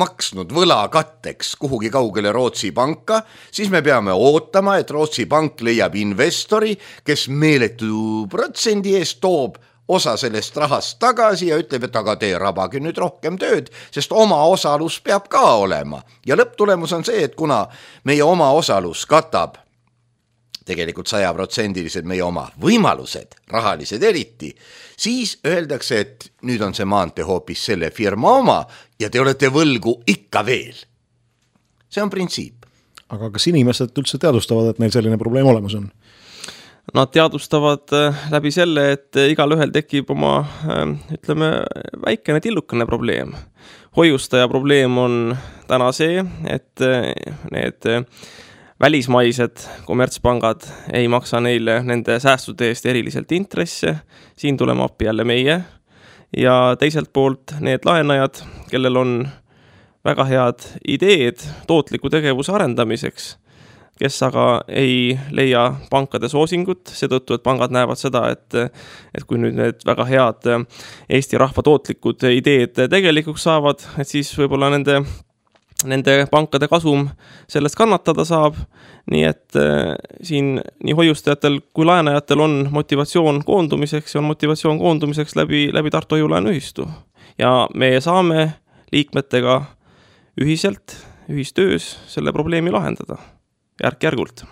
maksnud võla katteks kuhugi kaugele Rootsi panka, siis me peame ootama, et Rootsi pank leiab investori, kes meeletu protsendi eest toob osa sellest rahast tagasi ja ütleb, et aga tee rabage nüüd rohkem tööd, sest oma osalus peab ka olema. Ja lõpptulemus on see, et kuna meie oma osalus katab tegelikult sajaprotsendilised meie oma võimalused, rahalised eriti, siis öeldakse, et nüüd on see maantee hoopis selle firma oma ja te olete võlgu ikka veel. See on printsiip. Aga kas inimesed üldse teadvustavad, et neil selline probleem olemas on? Nad teadvustavad läbi selle, et igal ühel tekib oma, ütleme, väikene tillukene probleem. Hoiustaja probleem on täna see, et need välismaised kommertspangad ei maksa neile nende säästude eest eriliselt intresse, siin tuleme appi jälle meie, ja teiselt poolt need laenajad, kellel on väga head ideed tootliku tegevuse arendamiseks, kes aga ei leia pankade soosingut, seetõttu, et pangad näevad seda, et, et kui nüüd need väga head Eesti rahva tootlikud ideed tegelikuks saavad, et siis võib-olla nende nende pankade kasum sellest kannatada saab, nii et äh, siin nii hoiustajatel kui laenajatel on motivatsioon koondumiseks ja on motivatsioon koondumiseks läbi, läbi Tartu Hoiu-laenuühistu. Ja me saame liikmetega ühiselt, ühistöös selle probleemi lahendada järk-järgult.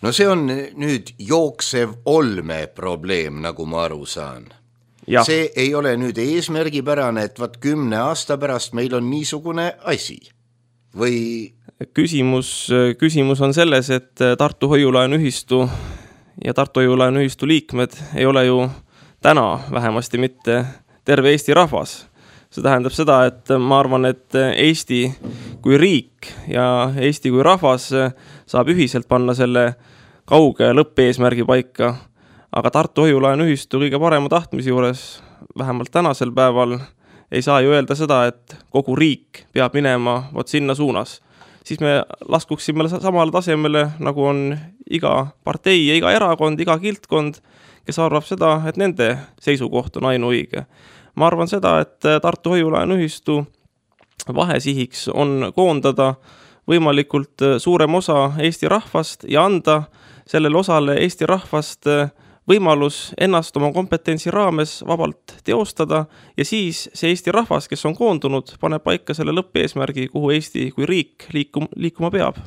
No see on nüüd jooksev olme probleem, nagu ma aru saan. Ja. See ei ole nüüd eesmärgipärane, et vaat kümne aasta pärast meil on niisugune asi. Või... Küsimus, küsimus on selles, et Tartu Hoiu-laenuühistu ja Tartu Hoiu-laenuühistu liikmed ei ole ju täna vähemasti mitte terve Eesti rahvas. See tähendab seda, et ma arvan, et Eesti kui riik ja Eesti kui rahvas saab ühiselt panna selle kauge lõppeesmärgi paika, aga Tartu Hoiu-laenuühistu kõige parema tahtmise juures, vähemalt tänasel päeval, ei saa ju öelda seda, et kogu riik peab minema vot sinna suunas. Siis me laskuksime samale tasemele, nagu on iga partei ja iga erakond, iga kiltkond, kes arvab seda, et nende seisukoht on ainuõige. Ma arvan seda, et Tartu Hoiu-laenuühistu vahesihiks on koondada võimalikult suurem osa Eesti rahvast ja anda sellele osale Eesti rahvast võimalus ennast oma kompetentsi raames vabalt teostada ja siis see Eesti rahvas, kes on koondunud, paneb paika selle lõppeesmärgi, kuhu Eesti kui riik liikum, liikuma peab.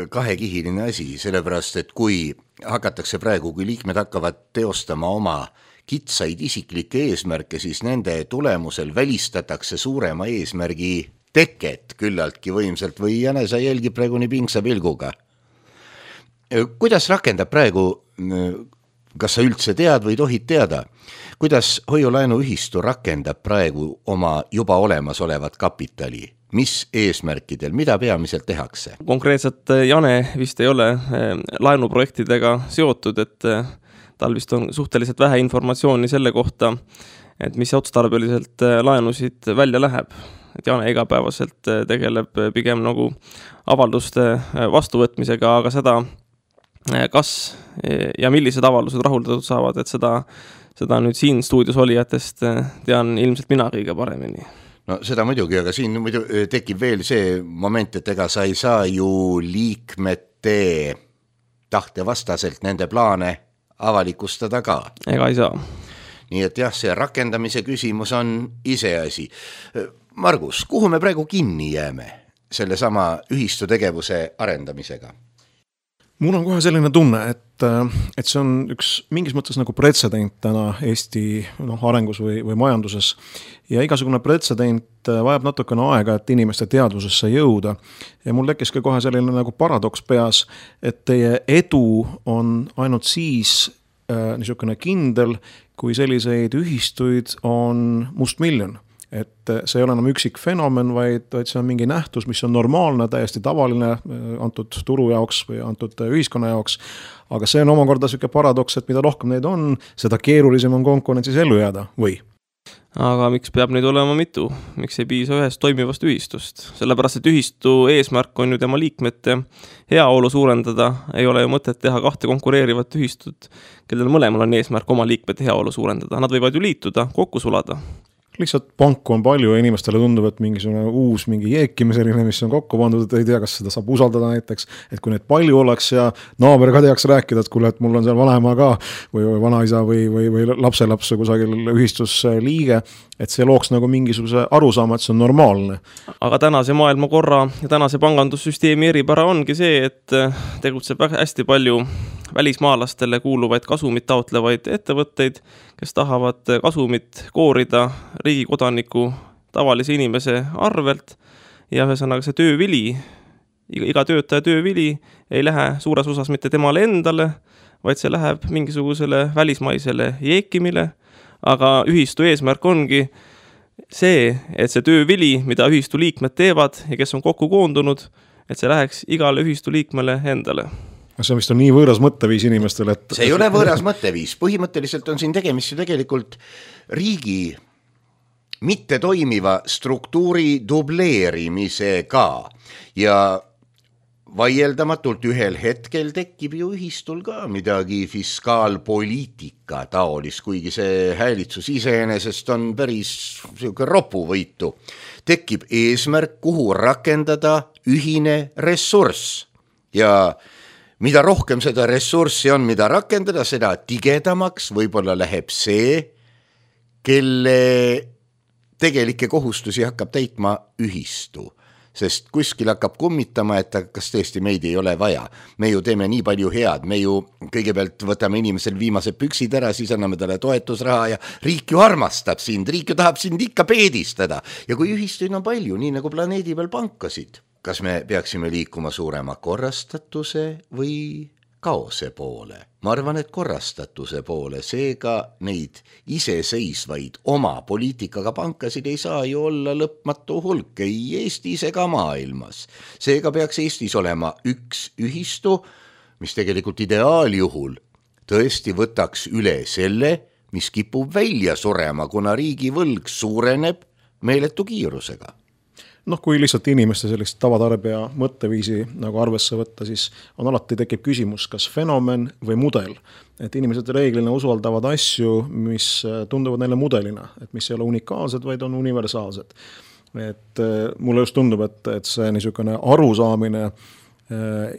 Kahekihiline asi, sellepärast, et kui hakatakse praegu, kui liikmed hakkavad teostama oma kitsaid isiklikke eesmärke, siis nende tulemusel välistatakse suurema eesmärgi teket küllaltki võimselt või Jane, sa jälgib praegu nii pingsa pilguga. Kuidas rakendab praegu, kas sa üldse tead või tohid teada, kuidas Hoiu-laenuühistu rakendab praegu oma juba olemas olevat kapitali? Mis eesmärkidel, mida peamiselt tehakse? Konkreetselt Jane vist ei ole laenuprojektidega seotud, et tal vist on suhteliselt vähe informatsiooni selle kohta, et mis otstarbeliselt laenusid välja läheb. Et Jane igapäevaselt tegeleb pigem nagu avalduste vastuvõtmisega, aga seda kas ja millised avaldused rahuldatud saavad, et seda, seda nüüd siin stuudios olijatest tean ilmselt mina kõige paremini. No seda muidugi, aga siin muidu tekib veel see moment, et ega sa ei saa ju liikmete tahte vastaselt nende plaane avalikustada ka. Ega ei saa. Nii et jah, see rakendamise küsimus on iseasi. Margus, kuhu me praegu kinni jääme selle sama ühistu tegevuse arendamisega? Mul on kohe selline tunne, et, et see on üks mingis mõttes nagu pretsedent täna Eesti no, arengus või, või majanduses. Ja igasugune pretsedent vajab natukene aega, et inimeste teadvusesse jõuda. Ja mul tekkis ka kohe selline nagu paradoks peas, et teie edu on ainult siis äh, niisugune kindel, kui selliseid ühistuid on mustmiljon. Et see ei ole enam üksik fenomen, vaid, vaid see on mingi nähtus, mis on normaalne, täiesti tavaline antud turu jaoks või antud ühiskonna jaoks. Aga see on omakorda selline paradoks, et mida rohkem neid on, seda keerulisem on konkurentsis ellu jääda, või? Aga miks peab neid olema mitu? Miks ei piisa ühest toimivast ühistust? Sellepärast, et ühistu eesmärk on ju tema liikmete heaolu suurendada. Ei ole ju mõtet teha kahte konkureerivat ühistut, kellel mõlemal on eesmärk oma liikmete heaolu suurendada. Nad võivad ju liituda, kokku sulada. lihtsalt panku on palju ja inimestele tundub, et mingisugune uus mingi jeekime selline, mis on kokku pandud, et ei tea, kas seda saab usaldada näiteks, et kui neid palju oleks ja naaber ka teaks rääkida, et kuule, et mul on seal vanaema ka või, või vanaisa või, või, või lapselapse kusagil ühistus liige, et see looks nagu mingisuguse arusaama, et see on normaalne. Aga tänase maailmakorra ja tänase pangandussüsteemi eripära ongi see, et tegutseb hästi palju välismaalastele kuuluvaid kasumit taotlevaid ettevõtteid, kes tahavad kasumit koorida riigi kodaniku tavalise inimese arvelt ja ühesõnaga see töövili, iga töötaja töövili ei lähe suures osas mitte temale endale, vaid see läheb mingisugusele välismaisele jeekimile, aga ühistu eesmärk ongi see, et see töövili, mida ühistu liikmed teevad ja kes on kokku koondunud, et see läheks igale ühistu liikmele endale. See vist on nii võõras mõtteviis inimestele, et... See ei ole võõras mõtteviis. Põhimõtteliselt on siin tegemist ju tegelikult riigi mitte toimiva struktuuri dubleerimisega ja vaieldamatult ühel hetkel tekib ju ühistul ka midagi fiskaalpoliitika taolis, kuigi see häälitsus iseenesest on päris ropuvõitu. Tekib eesmärk, kuhu rakendada ühine ressurss ja mida rohkem seda ressurssi on, mida rakendada, seda tigedamaks võib-olla läheb see, kelle tegelikke kohustusi hakkab täitma ühistu. Sest kuskil hakkab kummitama, et kas tõesti meid ei ole vaja. Me ju teeme nii palju head, me ju kõigepealt võtame inimesel viimase püksid ära, siis anname talle toetusraha ja riik ju armastab sind, riik ju tahab sind ikka peedistada. Ja kui ühistuid on palju, nii nagu planeedi peal pankasid, kas me peaksime liikuma suurema korrastatuse või kaose poole? Ma arvan, et korrastatuse poole, seega neid iseseisvaid oma poliitikaga pankasid ei saa ju olla lõpmatu hulk, ei Eestis ega maailmas. Seega peaks Eestis olema üks ühistu, mis tegelikult ideaaljuhul tõesti võtaks üle selle, mis kipub välja surema, kuna riigi võlg suureneb meeletu kiirusega. Noh, kui lihtsalt inimeste sellist tavatarbija mõtteviisi nagu arvesse võtta, siis on alati tekib küsimus, kas fenomen või mudel. Et inimesed reeglina usaldavad asju, mis tunduvad neile mudelina, et mis ei ole unikaalsed, vaid on universaalsed. Et mulle just tundub, et, et see niisugune arusaamine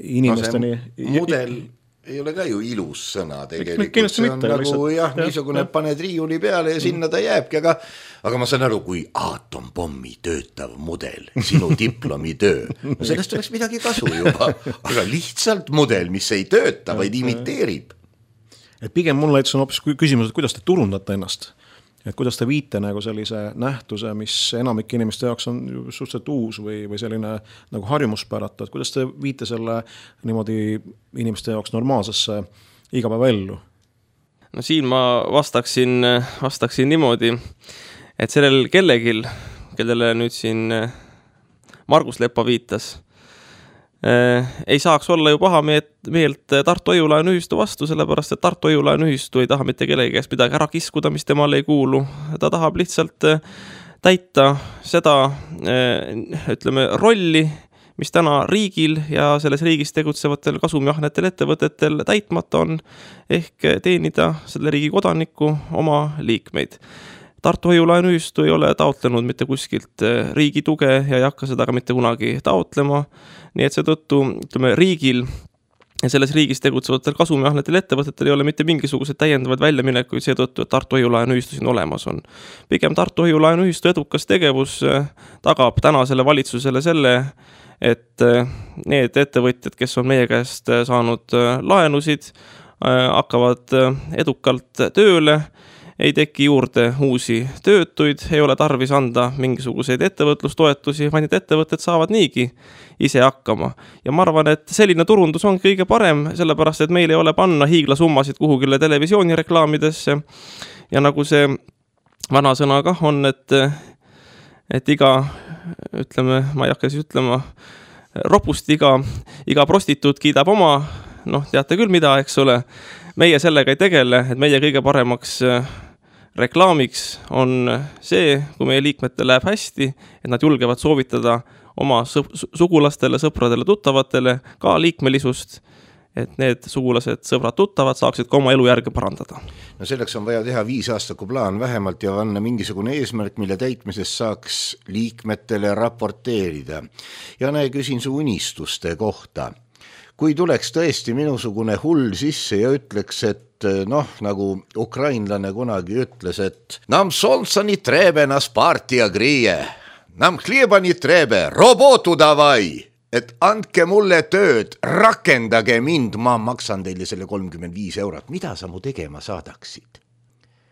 inimesteni... No mudel ei ole ka ju ilus sõna tegelikult. See on mitte, nagu lihtsalt, jah, niisugune jah. Paned riiuli peale ja sinna ta jääbki, aga, aga ma saan aru, kui aatompommi töötav mudel, sinu diplomitöö, no sellest oleks midagi kasu juba, aga lihtsalt mudel, mis ei tööta, vaid imiteerib. Et pigem mulle on hoopis küsimus, et kuidas te turundate ennast? Et kuidas te viite nagu sellise nähtuse, mis enamik inimeste jaoks on suhteliselt uus või, või selline nagu harjumuspäratu, et kuidas te viite selle niimoodi inimeste jaoks normaalsesse igapäevaellu? No siin ma vastaksin, vastaksin niimoodi, et sellel kellegil, kellele nüüd siin Margus Leppa viitas, ei saaks olla ju paha meelt Tartu Hoiu-laenuühistu vastu, sellepärast, et Tartu Hoiu-laenuühistu ei taha mitte kellegi käest midagi ära kiskuda, mis temale ei kuulu. Ta tahab lihtsalt täita seda, ütleme, rolli, mis täna riigil ja selles riigis tegutsevatel kasumjahnetel ettevõtetel täitmata on, ehk teenida selle riigi kodaniku oma liikmeid. Tartu Hoiu-laenuühistu ei ole taotlenud mitte kuskilt riigi tuge ja ei hakka seda ka mitte kunagi taotlema. Nii et seetõttu, ütleme, riigil ja selles riigis tegutsevatel kasumjahnetel ettevõtetel ei ole mitte mingisugused täiendavad väljaminekuid seetõttu, et Tartu Hoiu-laenuühistu siin olemas on. Pigem Tartu Hoiu-laenuühistu edukas tegevus tagab tänasele valitsusele selle, et need ettevõtjad, kes on meie käest saanud laenusid, hakkavad edukalt tööle, ei teki juurde uusi töötuid, ei ole tarvis anda mingisuguseid ettevõtlustoetusi, vaid need ettevõtted saavad niigi ise hakkama. Ja ma arvan, et selline turundus on kõige parem, sellepärast, et meil ei ole panna hiiglasummasid kuhugile televisioonireklaamidesse. Ja nagu see vana sõna kah on, et, et iga, ütleme, ma ei hakka siis ütlema, ropust iga, iga prostituut kiidab oma, noh, teate küll mida, eks ole. Meie sellega ei tegele, et meie kõige paremaks reklaamiks on see, kui meie liikmetel läheb hästi, et nad julgevad soovitada oma sugulastele, sõpradele, tuttavatele ka liikmelisust et need sugulased, sõbrad, tuttavad saaksid ka oma elu järge parandada. No selleks on vaja teha viis aastaku plaan vähemalt ja panna mingisugune eesmärk, mille täitmisest saaks liikmetele raporteerida. Ja näe, küsin su unistuste kohta. Kui tuleks tõesti minusugune hull sisse ja ütleks, et noh, nagu ukrainlane kunagi ütles, et nam solsa ni trebe nas partia grije, nam hlieba ni trebe, robotu davai. Et andke mulle tööd, rakendage mind, ma maksan teile selle kolmkümmend viis eurot. Mida sa mu tegema saadaksid?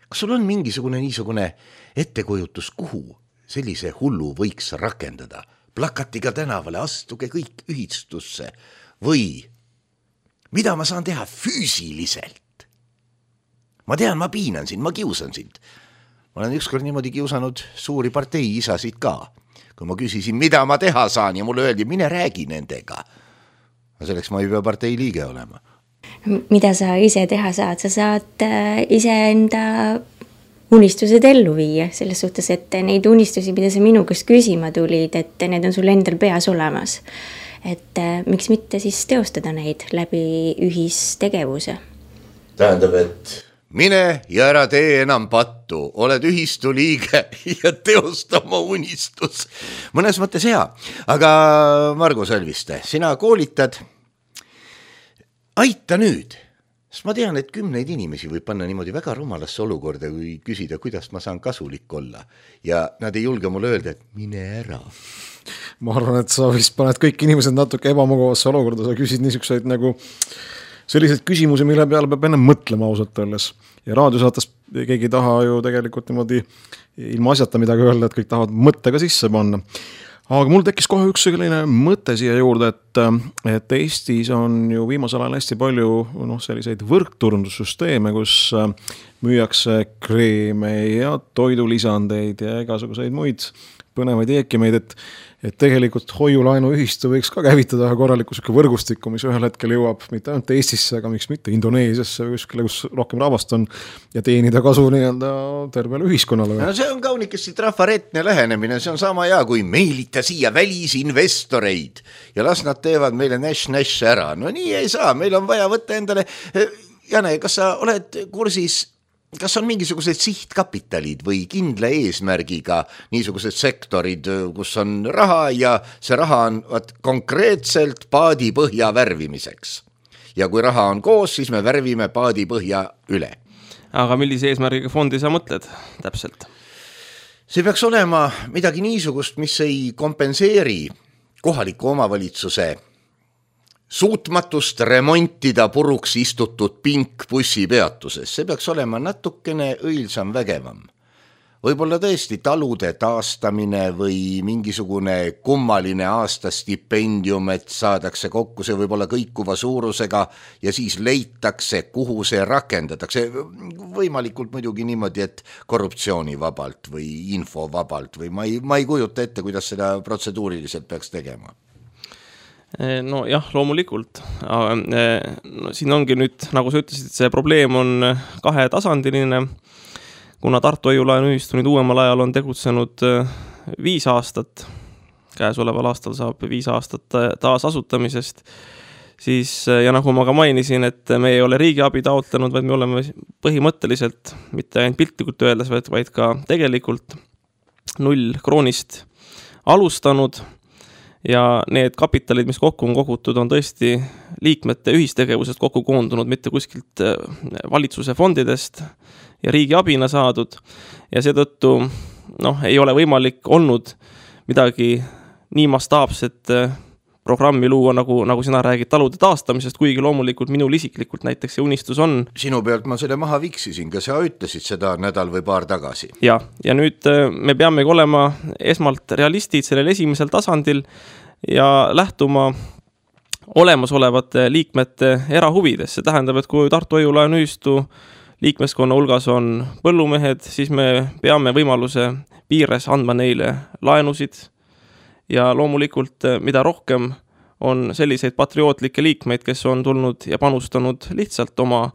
Kas sul on mingisugune niisugune ettekujutus, kuhu sellise hullu võiks rakendada? Plakatiga tänavale, astuge kõik ühistusse. Või mida ma saan teha füüsiliselt? Ma tean, ma piinan sind, ma kiusan sind. Ma olen ükskord niimoodi kiusanud suuri partei isasid ka. Kui ma küsisin, mida ma teha saan ja mulle öeldi, mine räägi nendega. Selleks ma ei pea partei liige olema. Mida sa ise teha saad? Sa saad ise enda unistused ellu viia selles suhtes, et neid unistusi, mida sa minu käest küsima tulid, et need on sul endal peas olemas. Et miks mitte siis teostada neid läbi ühistegevuse? Tähendab, et mine ja ära tee enam pattu, oled ühistu liige ja teosta oma unistus. Mõnes mõttes hea, aga Margo Sölviste, sina koolitad. Aita nüüd, sest ma tean, et kümneid inimesi võib panna niimoodi väga rumalasse olukorda, kui küsida, kuidas ma saan kasulik olla. Ja nad ei julge mulle öelda, et mine ära. Ma arvan, et sa vist paned kõik inimesed natuke ebamugavasse olukorda, sa küsid niisuguseid nagu sellised küsimusi, mille peale peab enne mõtlema ausalt öeldes. Ja raadiosaates keegi ei taha ju tegelikult niimoodi ilma asjata midagi öelda, et kõik tahavad mõttega sisse panna. Aga mul tekkis kohe üks selline mõte siia juurde, et, et Eestis on ju viimasel ajal hästi palju no, selliseid võrkturundussüsteeme, kus müüakse kreeme ja toidulisandeid ja igasuguseid muid põnevaid eekimeid, et, et tegelikult hoiulaenu ühistu võiks ka käivitada korraliku võrgustikku, mis ühel hetkel jõuab mitte ainult Eestisse, aga miks mitte Indoneesiasse või kuskile, kus rohkem rahvast on ja teenida kasu nii-öelda tervele ühiskonnale. No see on kaunikesti trafaretne lähenemine, see on sama hea, kui meelita siia välisinvestoreid ja las nad teevad meile näš-näš ära. No nii ei saa, meil on vaja võtta endale. Jane, kas sa oled kursis, kas on mingisugused sihtkapitalid või kindla eesmärgiga niisugused sektorid, kus on raha ja see raha on vaat, konkreetselt paadipõhja värvimiseks. Ja kui raha on koos, siis me värvime paadipõhja üle. Aga millise eesmärgiga fondi sa mõtled täpselt? See peaks olema midagi niisugust, mis ei kompenseeri kohaliku omavalitsuse suutmatust remontida puruks istutud pink bussipeatuses. See peaks olema natukene õilsam vägevam. Võib-olla tõesti talude taastamine või mingisugune kummaline aastastipendium, et saadakse kokku, see võib olla kõikuva suurusega ja siis leitakse, kuhu see rakendatakse. Võimalikult muidugi niimoodi, et korruptsioonivabalt või infovabalt või ma ei, ma ei kujuta ette, kuidas seda protseduuriliselt peaks tegema. No jah, loomulikult. No, siin ongi nüüd, nagu sa ütlesid, see probleem on kahetasandiline, kuna Tartu Hoiulaenu ühistu nüüd uuemal ajal on tegutsenud viis aastat, käesoleval aastal saab viis aastat taas asutamisest, siis, ja nagu ma ka mainisin, et me ei ole riigiabi taotlenud, vaid me oleme põhimõtteliselt, mitte ainult piltlikult öeldes, vaid, vaid ka tegelikult null kroonist alustanud. Ja need kapitalid, mis kokku on kogutud, on tõesti liikmete ühistegevusest kokku koondunud, mitte kuskilt valitsuse fondidest ja riigi abina saadud. Ja seetõttu noh, ei ole võimalik olnud midagi nii mastaapset programmi luua, nagu, nagu sina räägid talude taastamisest, kuigi loomulikult minul isiklikult näiteks see unistus on. Sinu pealt ma selle maha viksisin, ka sa ütlesid seda nädal või paar tagasi. Ja, ja nüüd me peamegi olema esmalt realistid sellel esimesel tasandil ja lähtuma olemasolevate liikmete erahuvides. See tähendab, et kui Tartu Hoiulaenu ühistu liikmeskonna hulgas on põllumehed, siis me peame võimaluse piires andma neile laenusid. Ja loomulikult, mida rohkem on selliseid patriootlikke liikmeid, kes on tulnud ja panustanud lihtsalt oma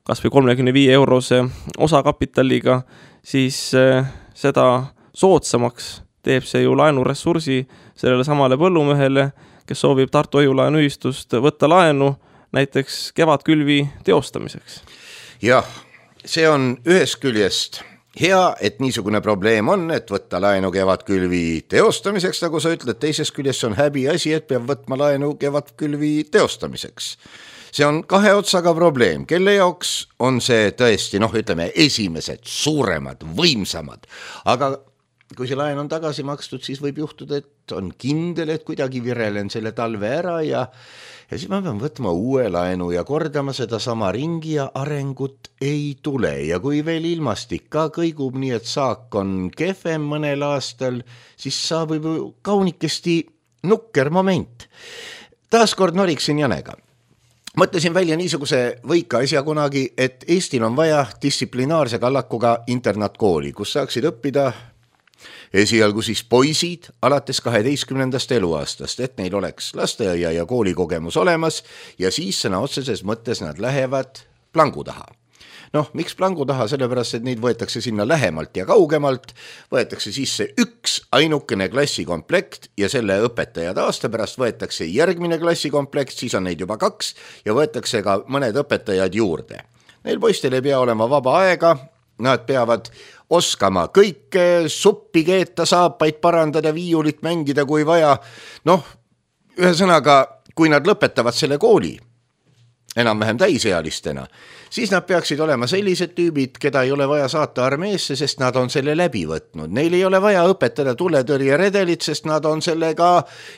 kas või kolmekümne viie eurose osakapitaliga, siis seda soodsamaks teeb see ju laenuressursi sellele samale põllumehele, kes soovib Tartu Hoiulaenu ühistust võtta laenu, näiteks kevadkülvi teostamiseks. Jah, see on ühest küljest hea, et niisugune probleem on, et võtta laenu kevadkülvi teostamiseks, nagu sa ütled, teisest küljest on häbi asi, et peab võtma laenu kevadkülvi teostamiseks. See on kahe otsaga probleem, kelle jaoks on see tõesti, noh, ütleme, esimesed, suuremad, võimsamad, aga kui see laen on tagasi makstud, siis võib juhtuda, et on kindel, et kuidagi virelen selle talve ära ja, ja siis ma pean võtma uue laenu ja kordama seda sama ringi ja arengut ei tule. Ja kui veel ilmastik ka kõigub nii, et saak on kehvem mõnel aastal, siis saabub kaunikesti nukker moment. Taaskord noriksin Janega. Mõtlesin välja niisuguse võika asja kunagi, et Eestil on vaja distsiplinaarse kallakuga internaatkooli, kus saaksid õppida esialgu siis poisid alates kaheteistkümnendast eluaastast, et neil oleks lasteaia ja koolikogemus olemas ja siis sõna otseses mõttes nad lähevad plangu taha. Noh, miks plangu taha? Sellepärast, et neid võetakse sinna lähemalt ja kaugemalt, võetakse sisse üks ainukene klassikomplekt ja selle õpetajad aasta pärast võetakse järgmine klassikomplekt, siis on neid juba kaks ja võetakse ka mõned õpetajad juurde. Neil poistel ei pea olema vaba aega, nad peavad oskama kõike, suppi keeta, saapaid parandada, viiulit mängida kui vaja. Noh, ühesõnaga, kui nad lõpetavad selle kooli enam-vähem täisealistena, siis nad peaksid olema sellised tüübid, keda ei ole vaja saata armeesse, sest nad on selle läbi võtnud. Neil ei ole vaja õpetada tuletõrje redelit, sest nad on sellega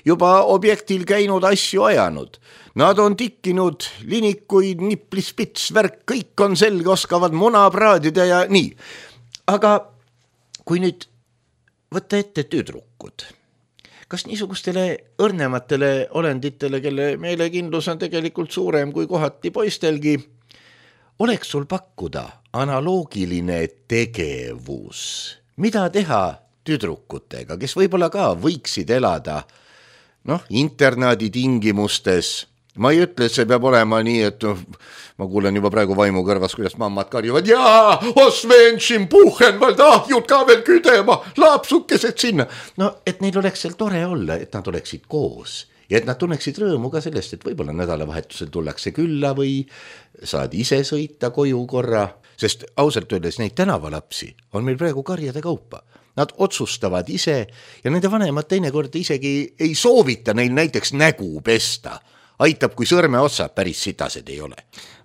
juba objektil käinud asju ajanud. Nad on tikkinud linikuid, niplispits, värk, kõik on selge, oskavad muna praadida ja nii. Aga kui nüüd võtta ette tüdrukud, kas niisugustele õrnematele olenditele, kelle meelekindlus on tegelikult suurem kui kohati poistelgi, oleks sul pakkuda analoogiline tegevus? Mida teha tüdrukutega, kes võib-olla ka võiksid elada noh, internaadi tingimustes? Ma ei ütle, et see peab olema nii, et ma kuulen juba praegu vaimu kõrvas, kuidas mammad karjuvad, jaa, osvenšim, puhenvald, ahjud ka veel küdema, laapsukesed sinna. No, et neil oleks seal tore olla, et nad oleksid koos ja et nad tunneksid rõõmu ka sellest, et võib-olla nädalavahetusel tullakse külla või saad ise sõita koju korra, sest ausalt öeldes neid tänavalapsi on meil praegu karjade kaupa. Nad otsustavad ise ja nende vanemad teinekord isegi ei soovita neil näiteks nägu pesta. Aitab, kui sõrme otsad päris sitased ei ole.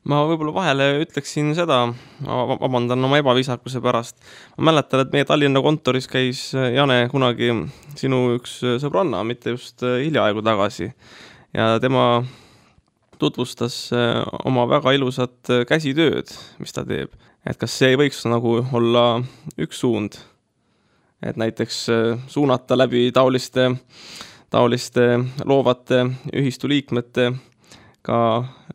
Ma võib-olla vahele ütleksin seda, vabandan oma ebaviisakuse pärast. Ma mäletan, et meie Tallinna kontoris käis Jane kunagi sinu üks sõbranna, mitte just hiljaaegu tagasi. Ja tema tutvustas oma väga ilusat käsitööd, mis ta teeb. Et kas see ei võiks nagu olla üks suund? Et näiteks suunata läbi taoliste taoliste loovate ühistu liikmete ka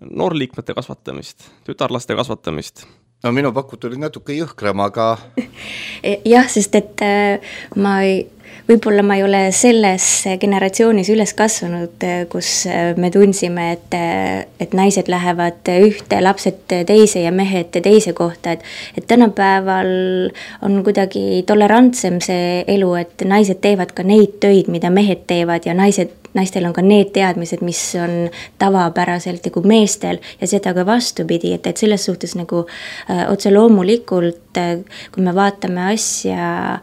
noorliikmete kasvatamist, tütarlaste kasvatamist. No minu pakud olid natuke jõhkram, aga... jah, sest et ma ei, võib-olla ma ei ole selles generatsioonis üles kasvanud, kus me tundsime, et, et naised lähevad ühte, lapsed teise ja mehed teise kohta. Et, et tänapäeval on kuidagi tolerantsem see elu, et naised teevad ka neid töid, mida mehed teevad ja naised naistel on ka need teadmised, mis on tavapäraselt nagu meestel ja seda ka vastupidi, et, et selles suhtes nagu äh, otse loomulikult, äh, kui me vaatame asja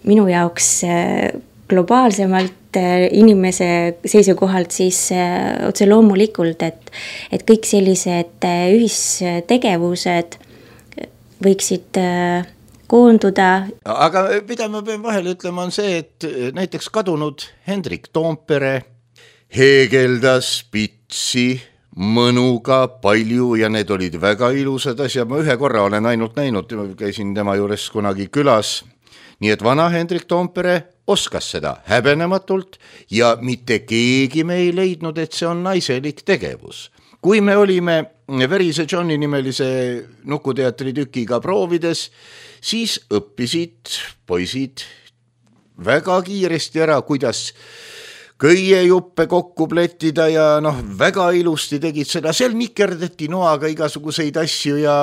minu jaoks äh, globaalsemalt äh, inimese seisukohalt, siis äh, otse loomulikult, et, et kõik sellised äh, ühistegevused võiksid äh, koonduda. Aga mida ma pean vahele ütlema on see, et näiteks kadunud Hendrik Toompere heegeldas pitsi mõnuga palju ja need olid väga ilusad asjad. Ma ühe korra olen ainult näinud, käisin tema juures kunagi külas. Nii et vana Hendrik Toompere oskas seda häbenematult ja mitte keegi me ei leidnud, et see on naiselik tegevus. Kui me olime Verise Johni nimelise nukuteatri tükiga proovides, siis õppisid poisid väga kiiresti ära, kuidas köiejuppe kokku pletida ja noh, väga ilusti tegid seda. Seal nikerdati noaga igasuguseid asju ja,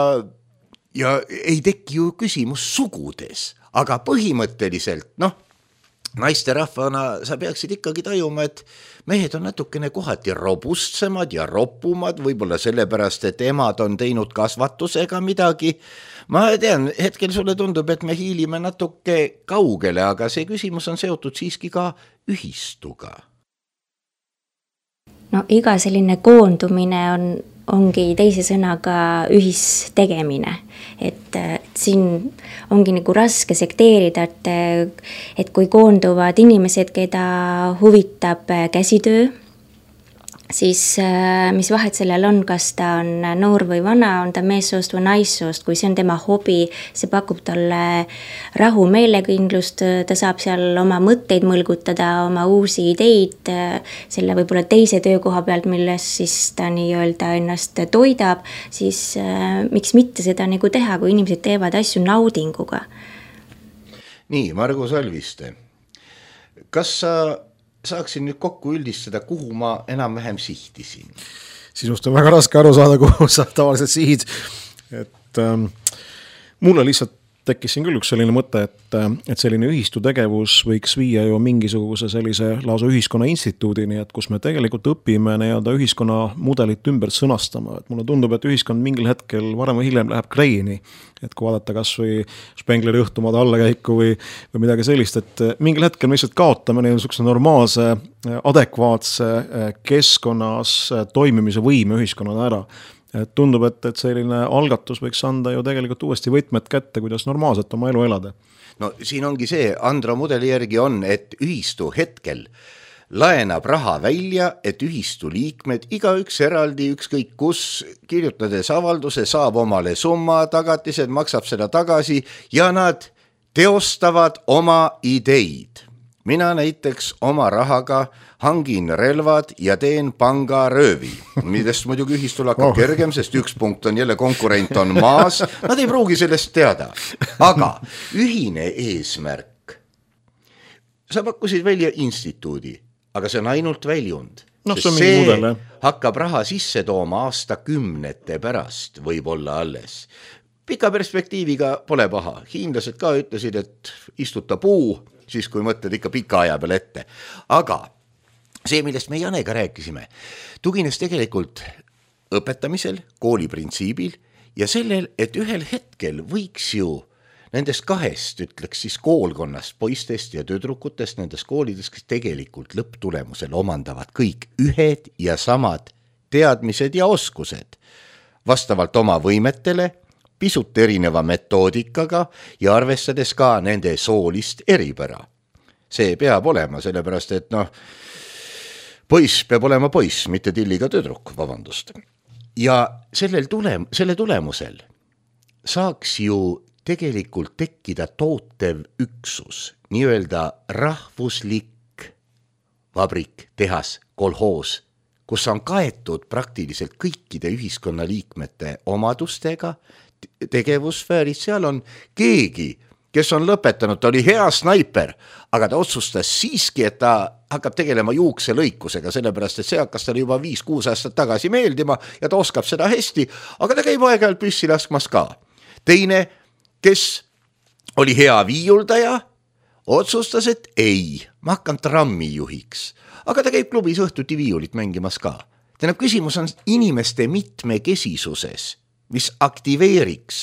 ja ei teki ju küsimus sugudes. Aga põhimõtteliselt, noh, naiste rahvana sa peaksid ikkagi tajuma, et mehed on natukene kohati robustsemad ja roppumad, võib-olla sellepärast, et emad on teinud kasvatusega midagi. Ma tean, hetkel sulle tundub, et me hiilime natuke kaugele, aga see küsimus on seotud siiski ka ühistuga. No iga selline koondumine on, ongi teise sõnaga ühistegemine. Et, et siin ongi nagu raske sekteerida, et, et kui koonduvad inimesed, keda huvitab käsitöö, siis mis vahet sellel on, kas ta on noor või vana, on ta meessoost või naissoost, kui see on tema hobi, see pakub talle rahu, meelekindlust, ta saab seal oma mõtteid mõlgutada, oma uusi ideid, selle võib-olla teise töökoha pealt, milles siis ta nii-öelda ennast toidab, siis miks mitte seda nagu teha, kui inimesed teevad asju naudinguga. Nii, Margo Salviste, kas sa saaksin nüüd kokku üldistada, kuhu ma enam-vähem sihtisin? Sinust on väga raske aru saada, kuhu sa tavaliselt sihid. Et ähm, mulle lihtsalt tekkis siin küll üks selline mõte, et, et selline ühistu tegevus võiks viia ju mingisuguse sellise lausa ühiskonna instituudini, et kus me tegelikult õpime nii-öelda ühiskonna mudelit ümber sõnastama. Et mulle tundub, et ühiskond mingil hetkel varem või hiljem läheb kreeni. Et kui vaadata kas või Spengleri õhtumaade allakäiku või, või midagi sellist, et mingil hetkel me lihtsalt kaotame niisuguse normaalse, adekvaatse keskkonnas toimimise võime ühiskonnana ära. Et tundub, et, et selline algatus võiks anda ju tegelikult uuesti võtmed kätte, kuidas normaalselt oma elu elada. No siin ongi see, Andro mudeli järgi on, et ühistu hetkel laenab raha välja, et ühistu liikmed, igaüks eraldi, ükskõik kus, kirjutades avalduse, saab omale summa, tagatised, maksab seda tagasi ja nad teostavad oma ideid. Mina näiteks oma rahaga hangin relvad ja teen pangaröövi, millest muidugi ühistul hakkab oh. kergem, sest üks punkt on jälle konkurent on maas, nad ei pruugi sellest teada. Aga ühine eesmärk. Sa pakkusid välja instituudi, aga see on ainult väljund. No, see, see mudel, hakkab raha sisse tooma aasta kümnete pärast, võib olla alles. Pika perspektiiviga pole paha. Hiinlased ka ütlesid, et istuta puu, siis kui mõtled ikka pika aja peal ette. Aga see, millest me Janega rääkisime, tugines tegelikult õpetamisel, kooliprintsiibil ja sellel, et ühel hetkel võiks ju nendest kahest, ütleks siis koolkonnast, poistest ja tüdrukutest, nendest koolidest, kes tegelikult lõpptulemusel omandavad kõik ühed ja samad teadmised ja oskused vastavalt oma võimetele, pisut erineva metoodikaga ja arvestades ka nende soolist eripära. See peab olema, sellepärast, et noh, poiss peab olema poiss, mitte tilliga tüdruk, vabandust. Ja sellel tulem, selle tulemusel saaks ju tegelikult tekkida tootev üksus, nii-öelda rahvuslik vabrik, tehas, kolhoos, kus on kaetud praktiliselt kõikide ühiskonnaliikmete omadustega, tegevusfääris, seal on keegi, kes on lõpetanud, ta oli hea snaiper, aga ta otsustas siiski, et ta hakkab tegelema juukse lõikusega, sellepärast, et see hakkas talle juba viis kuus aastat tagasi meeldima ja ta oskab seda hästi, aga ta käib aeg-ajalt püssi laskmas ka. Teine, kes oli hea viiuldaja, otsustas, et ei, ma hakkan trammijuhiks, aga ta käib klubis õhtuti viiulit mängimas ka. Tähendab, küsimus on inimeste mitmekesisuses, mis aktiveeriks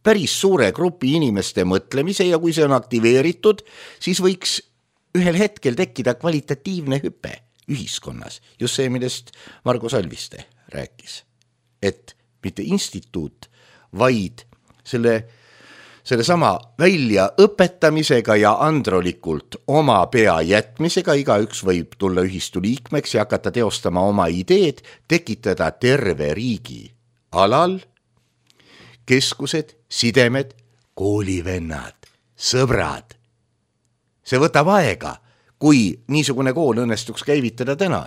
päris suure grupi inimeste mõtlemise ja kui see on aktiveeritud, siis võiks ühel hetkel tekkida kvalitatiivne hüpe ühiskonnas. Just see, millest Margo Salviste rääkis. Et mitte instituut, vaid selle, selle sama välja õpetamisega ja androlikult oma pea jätmisega, igaüks võib tulla ühistu liikmeks ja hakata teostama oma ideed, tekitada terve riigi alal, keskused, sidemed, koolivennad, sõbrad. See võtab aega, kui niisugune kool õnnestuks käivitada täna,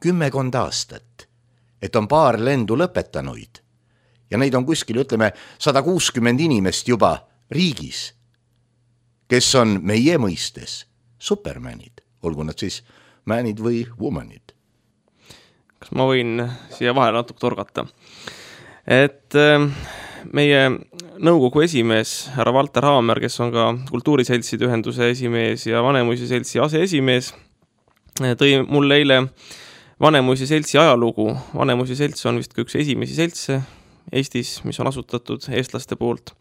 kümmekond aastat, et on paar lendu lõpetanuid ja neid on kuskil, ütleme, sada kuuskümmend inimest juba riigis, kes on meie mõistes supermanid, olgu nad siis manid või womanid. Kas ma võin siia vahele natuke torgata? Et meie nõukogu esimees, härra Valter Haamer, kes on ka kultuuriseltside ühenduse esimees ja Vanemuise seltsi aseesimees, tõi mulle eile Vanemuise seltsi ajalugu. Vanemuise selts on vist üks esimesi seltse Eestis, mis on asutatud eestlaste poolt.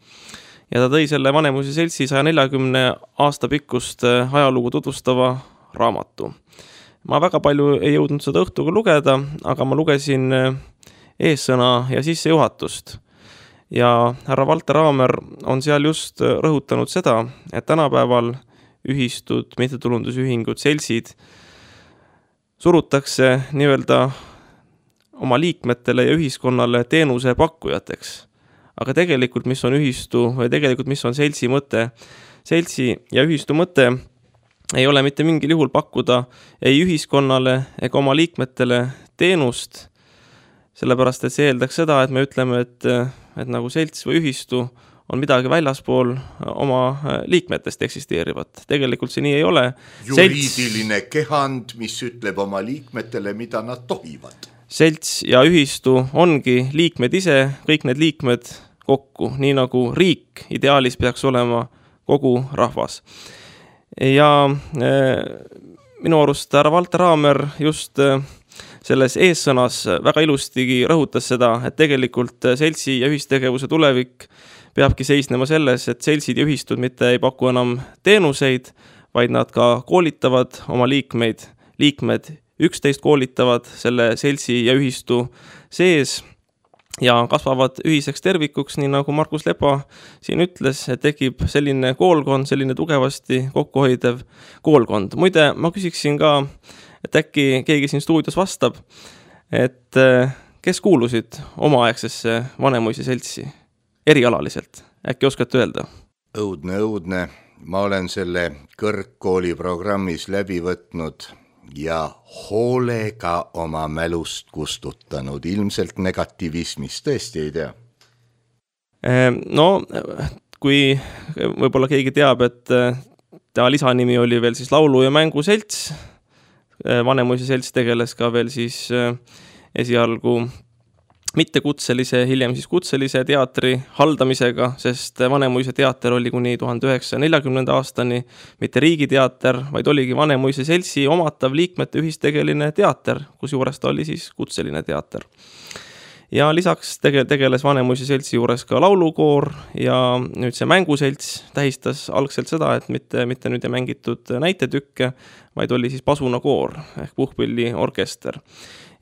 Ja ta tõi selle Vanemuise seltsi saja neljakümne aasta pikkust ajalugu tutvustava raamatu. Ma väga palju ei jõudnud seda õhtuga lugeda, aga ma lugesin eessõna ja sissejuhatust. Ja härra Valter Haamer on seal just rõhutanud seda, et tänapäeval ühistud, mittetulundusühingud, seltsid surutakse nii-öelda oma liikmetele ja ühiskonnale teenuse pakkujateks. Aga tegelikult, mis on ühistu või tegelikult, mis on seltsi mõte? Seltsi ja ühistu mõte ei ole mitte mingil juhul pakkuda ei ühiskonnale ega oma liikmetele teenust, sellepärast et see eeldaks seda, et me ütleme, et, et nagu selts või ühistu on midagi väljaspool oma liikmetest eksisteerivat. Tegelikult see nii ei ole. Juriidiline selts, kehand, mis ütleb oma liikmetele, mida nad tohivad. Selts ja ühistu ongi liikmed ise, kõik need liikmed kokku, nii nagu riik ideaalis peaks olema kogu rahvas. Ja äh, minu arust härra Valter Haamer just äh, selles eessõnas väga ilustigi rõhutas seda, et tegelikult seltsi ja ühistegevuse tulevik peabki seisnema selles, et seltsid ja ühistud mitte ei paku enam teenuseid, vaid nad ka koolitavad oma liikmeid. Liikmed üksteist koolitavad selle seltsi ja ühistu sees ja kasvavad ühiseks tervikuks, nii nagu Markus Lepa siin ütles, et tekib selline koolkond, selline tugevasti kokkuhoidev koolkond. Muide, ma küsiksin ka, et äkki keegi siin stuudios vastab, et kes kuulusid omaaegsesse Vanemuise seltsi erialaliselt? Äkki oskate öelda? Õudne, õudne. Ma olen selle kõrgkooli programmis läbi võtnud ja hoolega oma mälust kustutanud. Ilmselt negativismis, tõesti ei tea. No, kui võib-olla keegi teab, et ta lisanimi oli veel siis laulu- ja mänguselts, Vanemuise selts tegeles ka veel siis esialgu mitte kutselise, hiljem siis kutselise teatri haldamisega, sest Vanemuise teater oli kuni tuhande üheksasaja neljakümnenda aastani mitte riigiteater, vaid oligi Vanemuise seltsi omatav liikmete ühistegeline teater, kus juures ta oli siis kutseline teater. Ja lisaks tege- tegeles Vanemuise seltsi juures ka laulukoor ja nüüd see mänguselts tähistas algselt seda, et mitte, mitte nüüd ei mängitud näitetükke, vaid oli siis pasunakoor ehk puhkpilli orkester.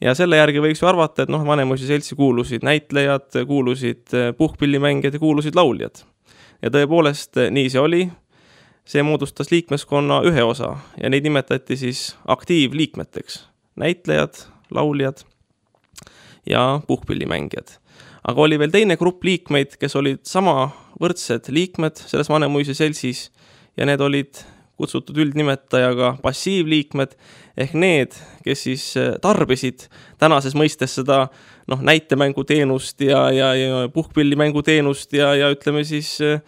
Ja selle järgi võiks ju arvata, et noh, Vanemuise seltsi kuulusid näitlejad, kuulusid puhkpillimängijad ja kuulusid lauljad. Ja tõepoolest nii see oli. See moodustas liikmeskonna ühe osa ja neid nimetati siis aktiivliikmeteks. Näitlejad, lauljad ja puhkpillimängijad. Aga oli veel teine grupp liikmeid, kes olid sama võrdsed liikmed selles Vanemuise seltsis ja need olid kutsutud üldnimetajaga passiivliikmed ehk need, kes siis tarbisid tänases mõistes seda noh, näitemänguteenust ja, ja, ja puhkpillimänguteenust ja, ja ütleme siis e,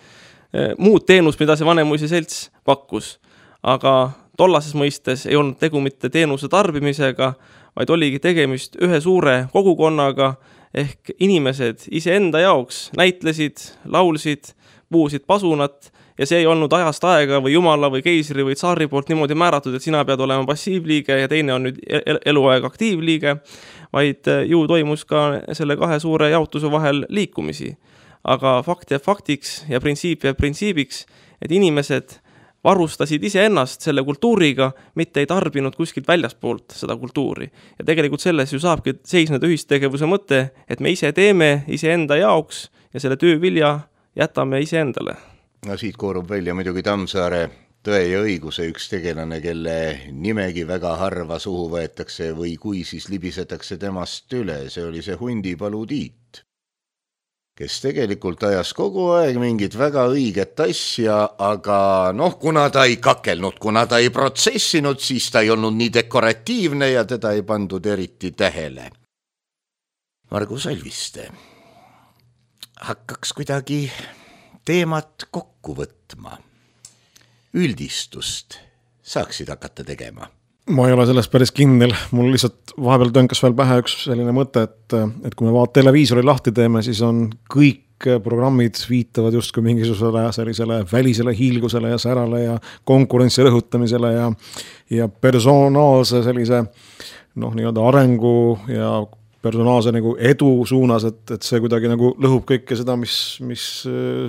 muud teenust, mida see Vanemuise selts pakkus. Aga tollases mõistes ei olnud tegu mitte teenuse tarbimisega, vaid oligi tegemist ühe suure kogukonnaga ehk inimesed iseenda jaoks näitlesid, laulsid, puhusid pasunat ja see ei olnud ajast aega või jumala või keisri või tsaari poolt niimoodi määratud, et sina pead olema passiivliige ja teine on nüüd eluaeg aktiivliige, vaid ju toimus ka selle kahe suure jaotuse vahel liikumisi. Aga fakt jääb faktiks ja printsiip jääb printsiibiks, et inimesed varustasid iseennast selle kultuuriga, mitte ei tarbinud kuskilt väljaspoolt seda kultuuri. Ja tegelikult selles ju saabki seisneda ühistegevuse mõte, et me ise teeme iseenda jaoks ja selle töö vilja jätame iseendale. No siit koorub välja muidugi Tammsaare Tõe ja õiguse üks tegelane, kelle nimegi väga harva suhu võetakse või kui siis libisetakse temast üle. See oli see Hundipalu Tiit, kes tegelikult ajas kogu aeg mingit väga õiget asja, aga noh, kuna ta ei kakelnud, kuna ta ei protsessinud, siis ta ei olnud nii dekoratiivne ja teda ei pandud eriti tähele. Margus Alviste hakkaks kuidagi teemat kokku võtma. Üldistust saaksid hakata tegema. Ma ei ole sellest päris kindel. Mul lihtsalt vahepeal tönkas veel pähe üks selline mõte, et, et kui me vaat televiisori lahti teeme, siis on kõik programmid viitavad justkui mingisugusele sellisele välisele hiilgusele ja särale ja konkurentsi rõhutamisele ja, ja personaalse sellise noh, nii-öelda arengu ja personaalse nagu edu suunas, et, et see kuidagi nagu lõhub kõike seda, mis, mis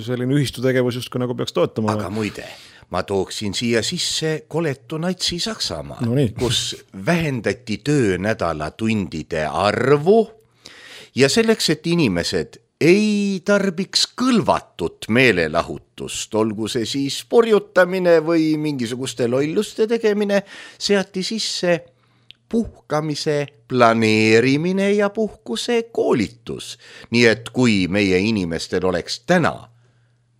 selline ühistutegevus justkui nagu peaks toetama. Aga muide, ma tooksin siia sisse koletu natsi Saksamaa, no nii. Kus vähendati töönädala tundide arvu ja selleks, et inimesed ei tarbiks kõlvatut meelelahutust, olgu see siis porjutamine või mingisuguste lolluste tegemine, seati sisse puhkamise planeerimine ja puhkuse koolitus. Nii et kui meie inimestel oleks täna,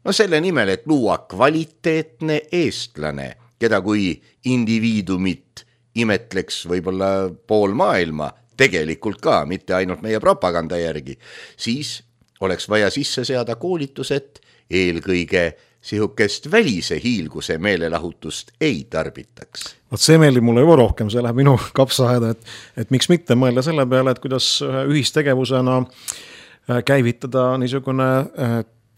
no selle nimel, et luua kvaliteetne eestlane, keda kui indiviidumit imetleks võib-olla pool maailma, tegelikult ka, mitte ainult meie propaganda järgi, siis oleks vaja sisse seada koolitused, eelkõige sihukest välise hiilguse meelelahutust ei tarbitaks. Vaat see meeldib mulle juba rohkem, see läheb minu kapsaaeda, et, et miks mitte mõelda selle peale, et kuidas ühistegevusena käivitada niisugune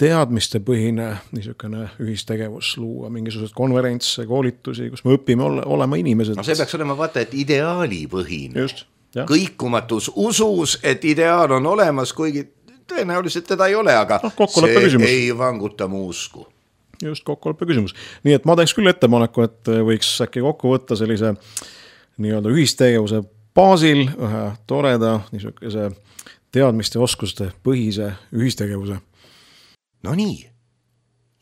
teadmistepõhine niisugune ühistegevus, luua mingisugused konverentse, koolitusi, kus me õpime ole, olema inimesed. No see peaks olema vaata, et ideaalipõhine. Just, jah. Kõikumatus usus, et ideaal on olemas, kuigi tõenäoliselt teda ei ole, aga no, see küsimus. Ei vanguta mu usku. Just kokkuleppe küsimus. Nii et ma teeks küll ettepaneku, et võiks äkki kokku võtta sellise nii-öelda ühistegevuse baasil ühe toreda niisuguse teadmiste oskuste põhise ühistegevuse. No nii.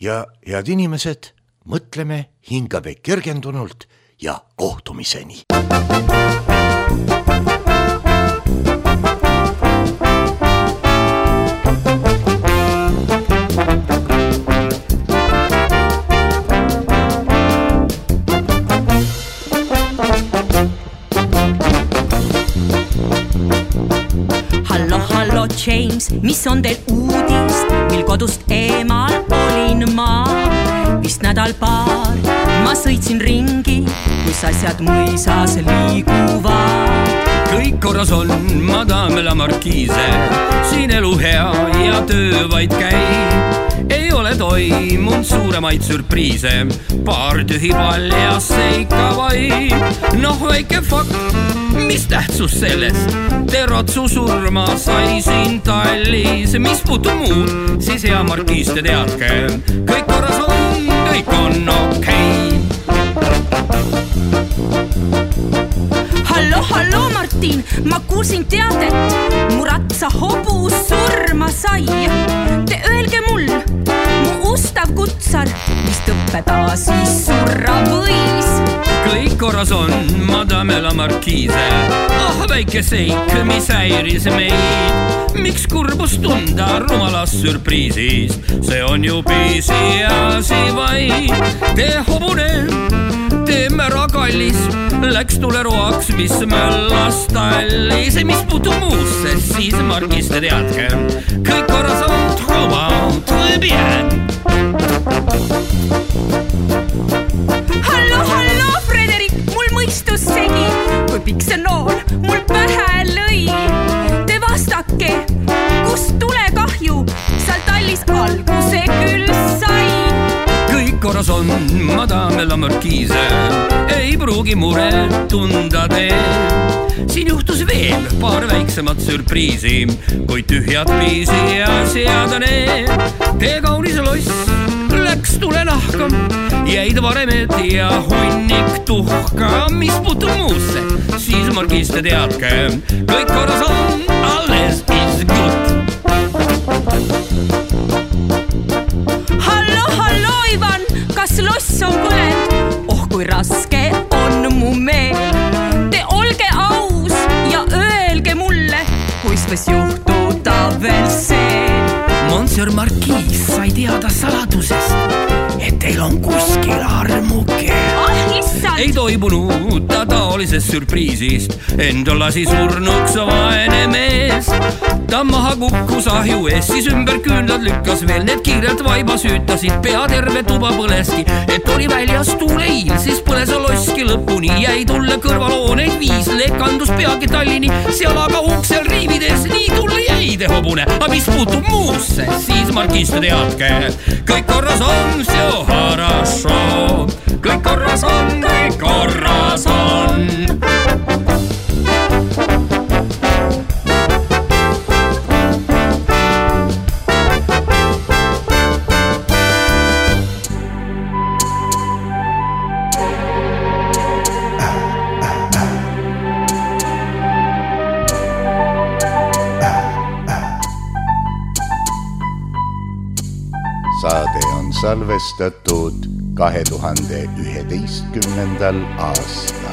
Ja head inimesed, mõtleme hingabe kergendunult ja kohtumiseni. James, mis on teil uudist, mil kodust eemal olin ma? Vist nädal paar, ma sõitsin ringi, kus asjad mõisas liiguvad. Kõik korras on, madame la markiise, siin elu hea ja töö vaid käib. Ei ole toimunud suuremaid sürpriise, paar tühi paljas seika vaid. Noh, väike fakt, mis tähtsus sellest? Terotsu surma sai siin Tallis, mis puutub muud, siis hea markiis te teadke. Kõik korras on, kõik on okei. Hallo, hallo Martin, ma kuulsin teadet, mu ratsa hobus surma sai. Te öelge mul, mu ustav kutsar, mis tõppeda siis surra võis. Kõik korras on, madame la markiise. Ah, väike seik, mis häiris meid. Miks kurbus tunda rumalas sürpriisis? See on ju piisi asi vaid. Te hobune, te mära kallis, läks tuleroaks, mis möllas tallis. Mis puutub muusse, siis markis te teadke. Kõik korras on, truva, très bien. Hallo, hallo, Frederik, mul mõistus segi, kui pikk see nool mul pähe lõi. Te vastake, kust tulekahju, seal tallis alguse küll sai. Kõik korras on, madame la markiise, ei pruugi mure tunda tee. Siin juhtus veel paar väiksemat sürpriisi, kui tühjad piisi ja seadane. Te kaunis loss läks tule nahka, jäid varemed ja hunnik tuhka. Mis puutub muusse, siis markis te teadke. Kõik korras on, alles is good. Hallo, hallo Ivan, kas loss on põlend? Oh, kui raske on mu meel. Te olge aus ja öelge mulle, kuis võis juhtuda veel see. Monsieur Marquis sai teada saladusest, et teil on kuskil armuke. Ah, issand! Ei toibunud ta taolisest sürpriisist, enda lasi surnuks vaene mees. Ta maha kukkus ahju ees, siis ümber küünlad lükkas veel, need kiirelt vaiba süütasid, pea terve tuba põleski, et oli väljas tuuleil, siis põles loski lõpuni, jäi tulle kõrvalooneid viis, lekandus peagi Tallini, seal aga uksel riivides, nii tulle jäi Heide hobune, aga mis puutub muusse, siis Margis teadke, kõik korras on, see harasho. Kõik korras on, kõik korras on. Saade on salvestatud kahe tuhande üheteistkümnendal aastal.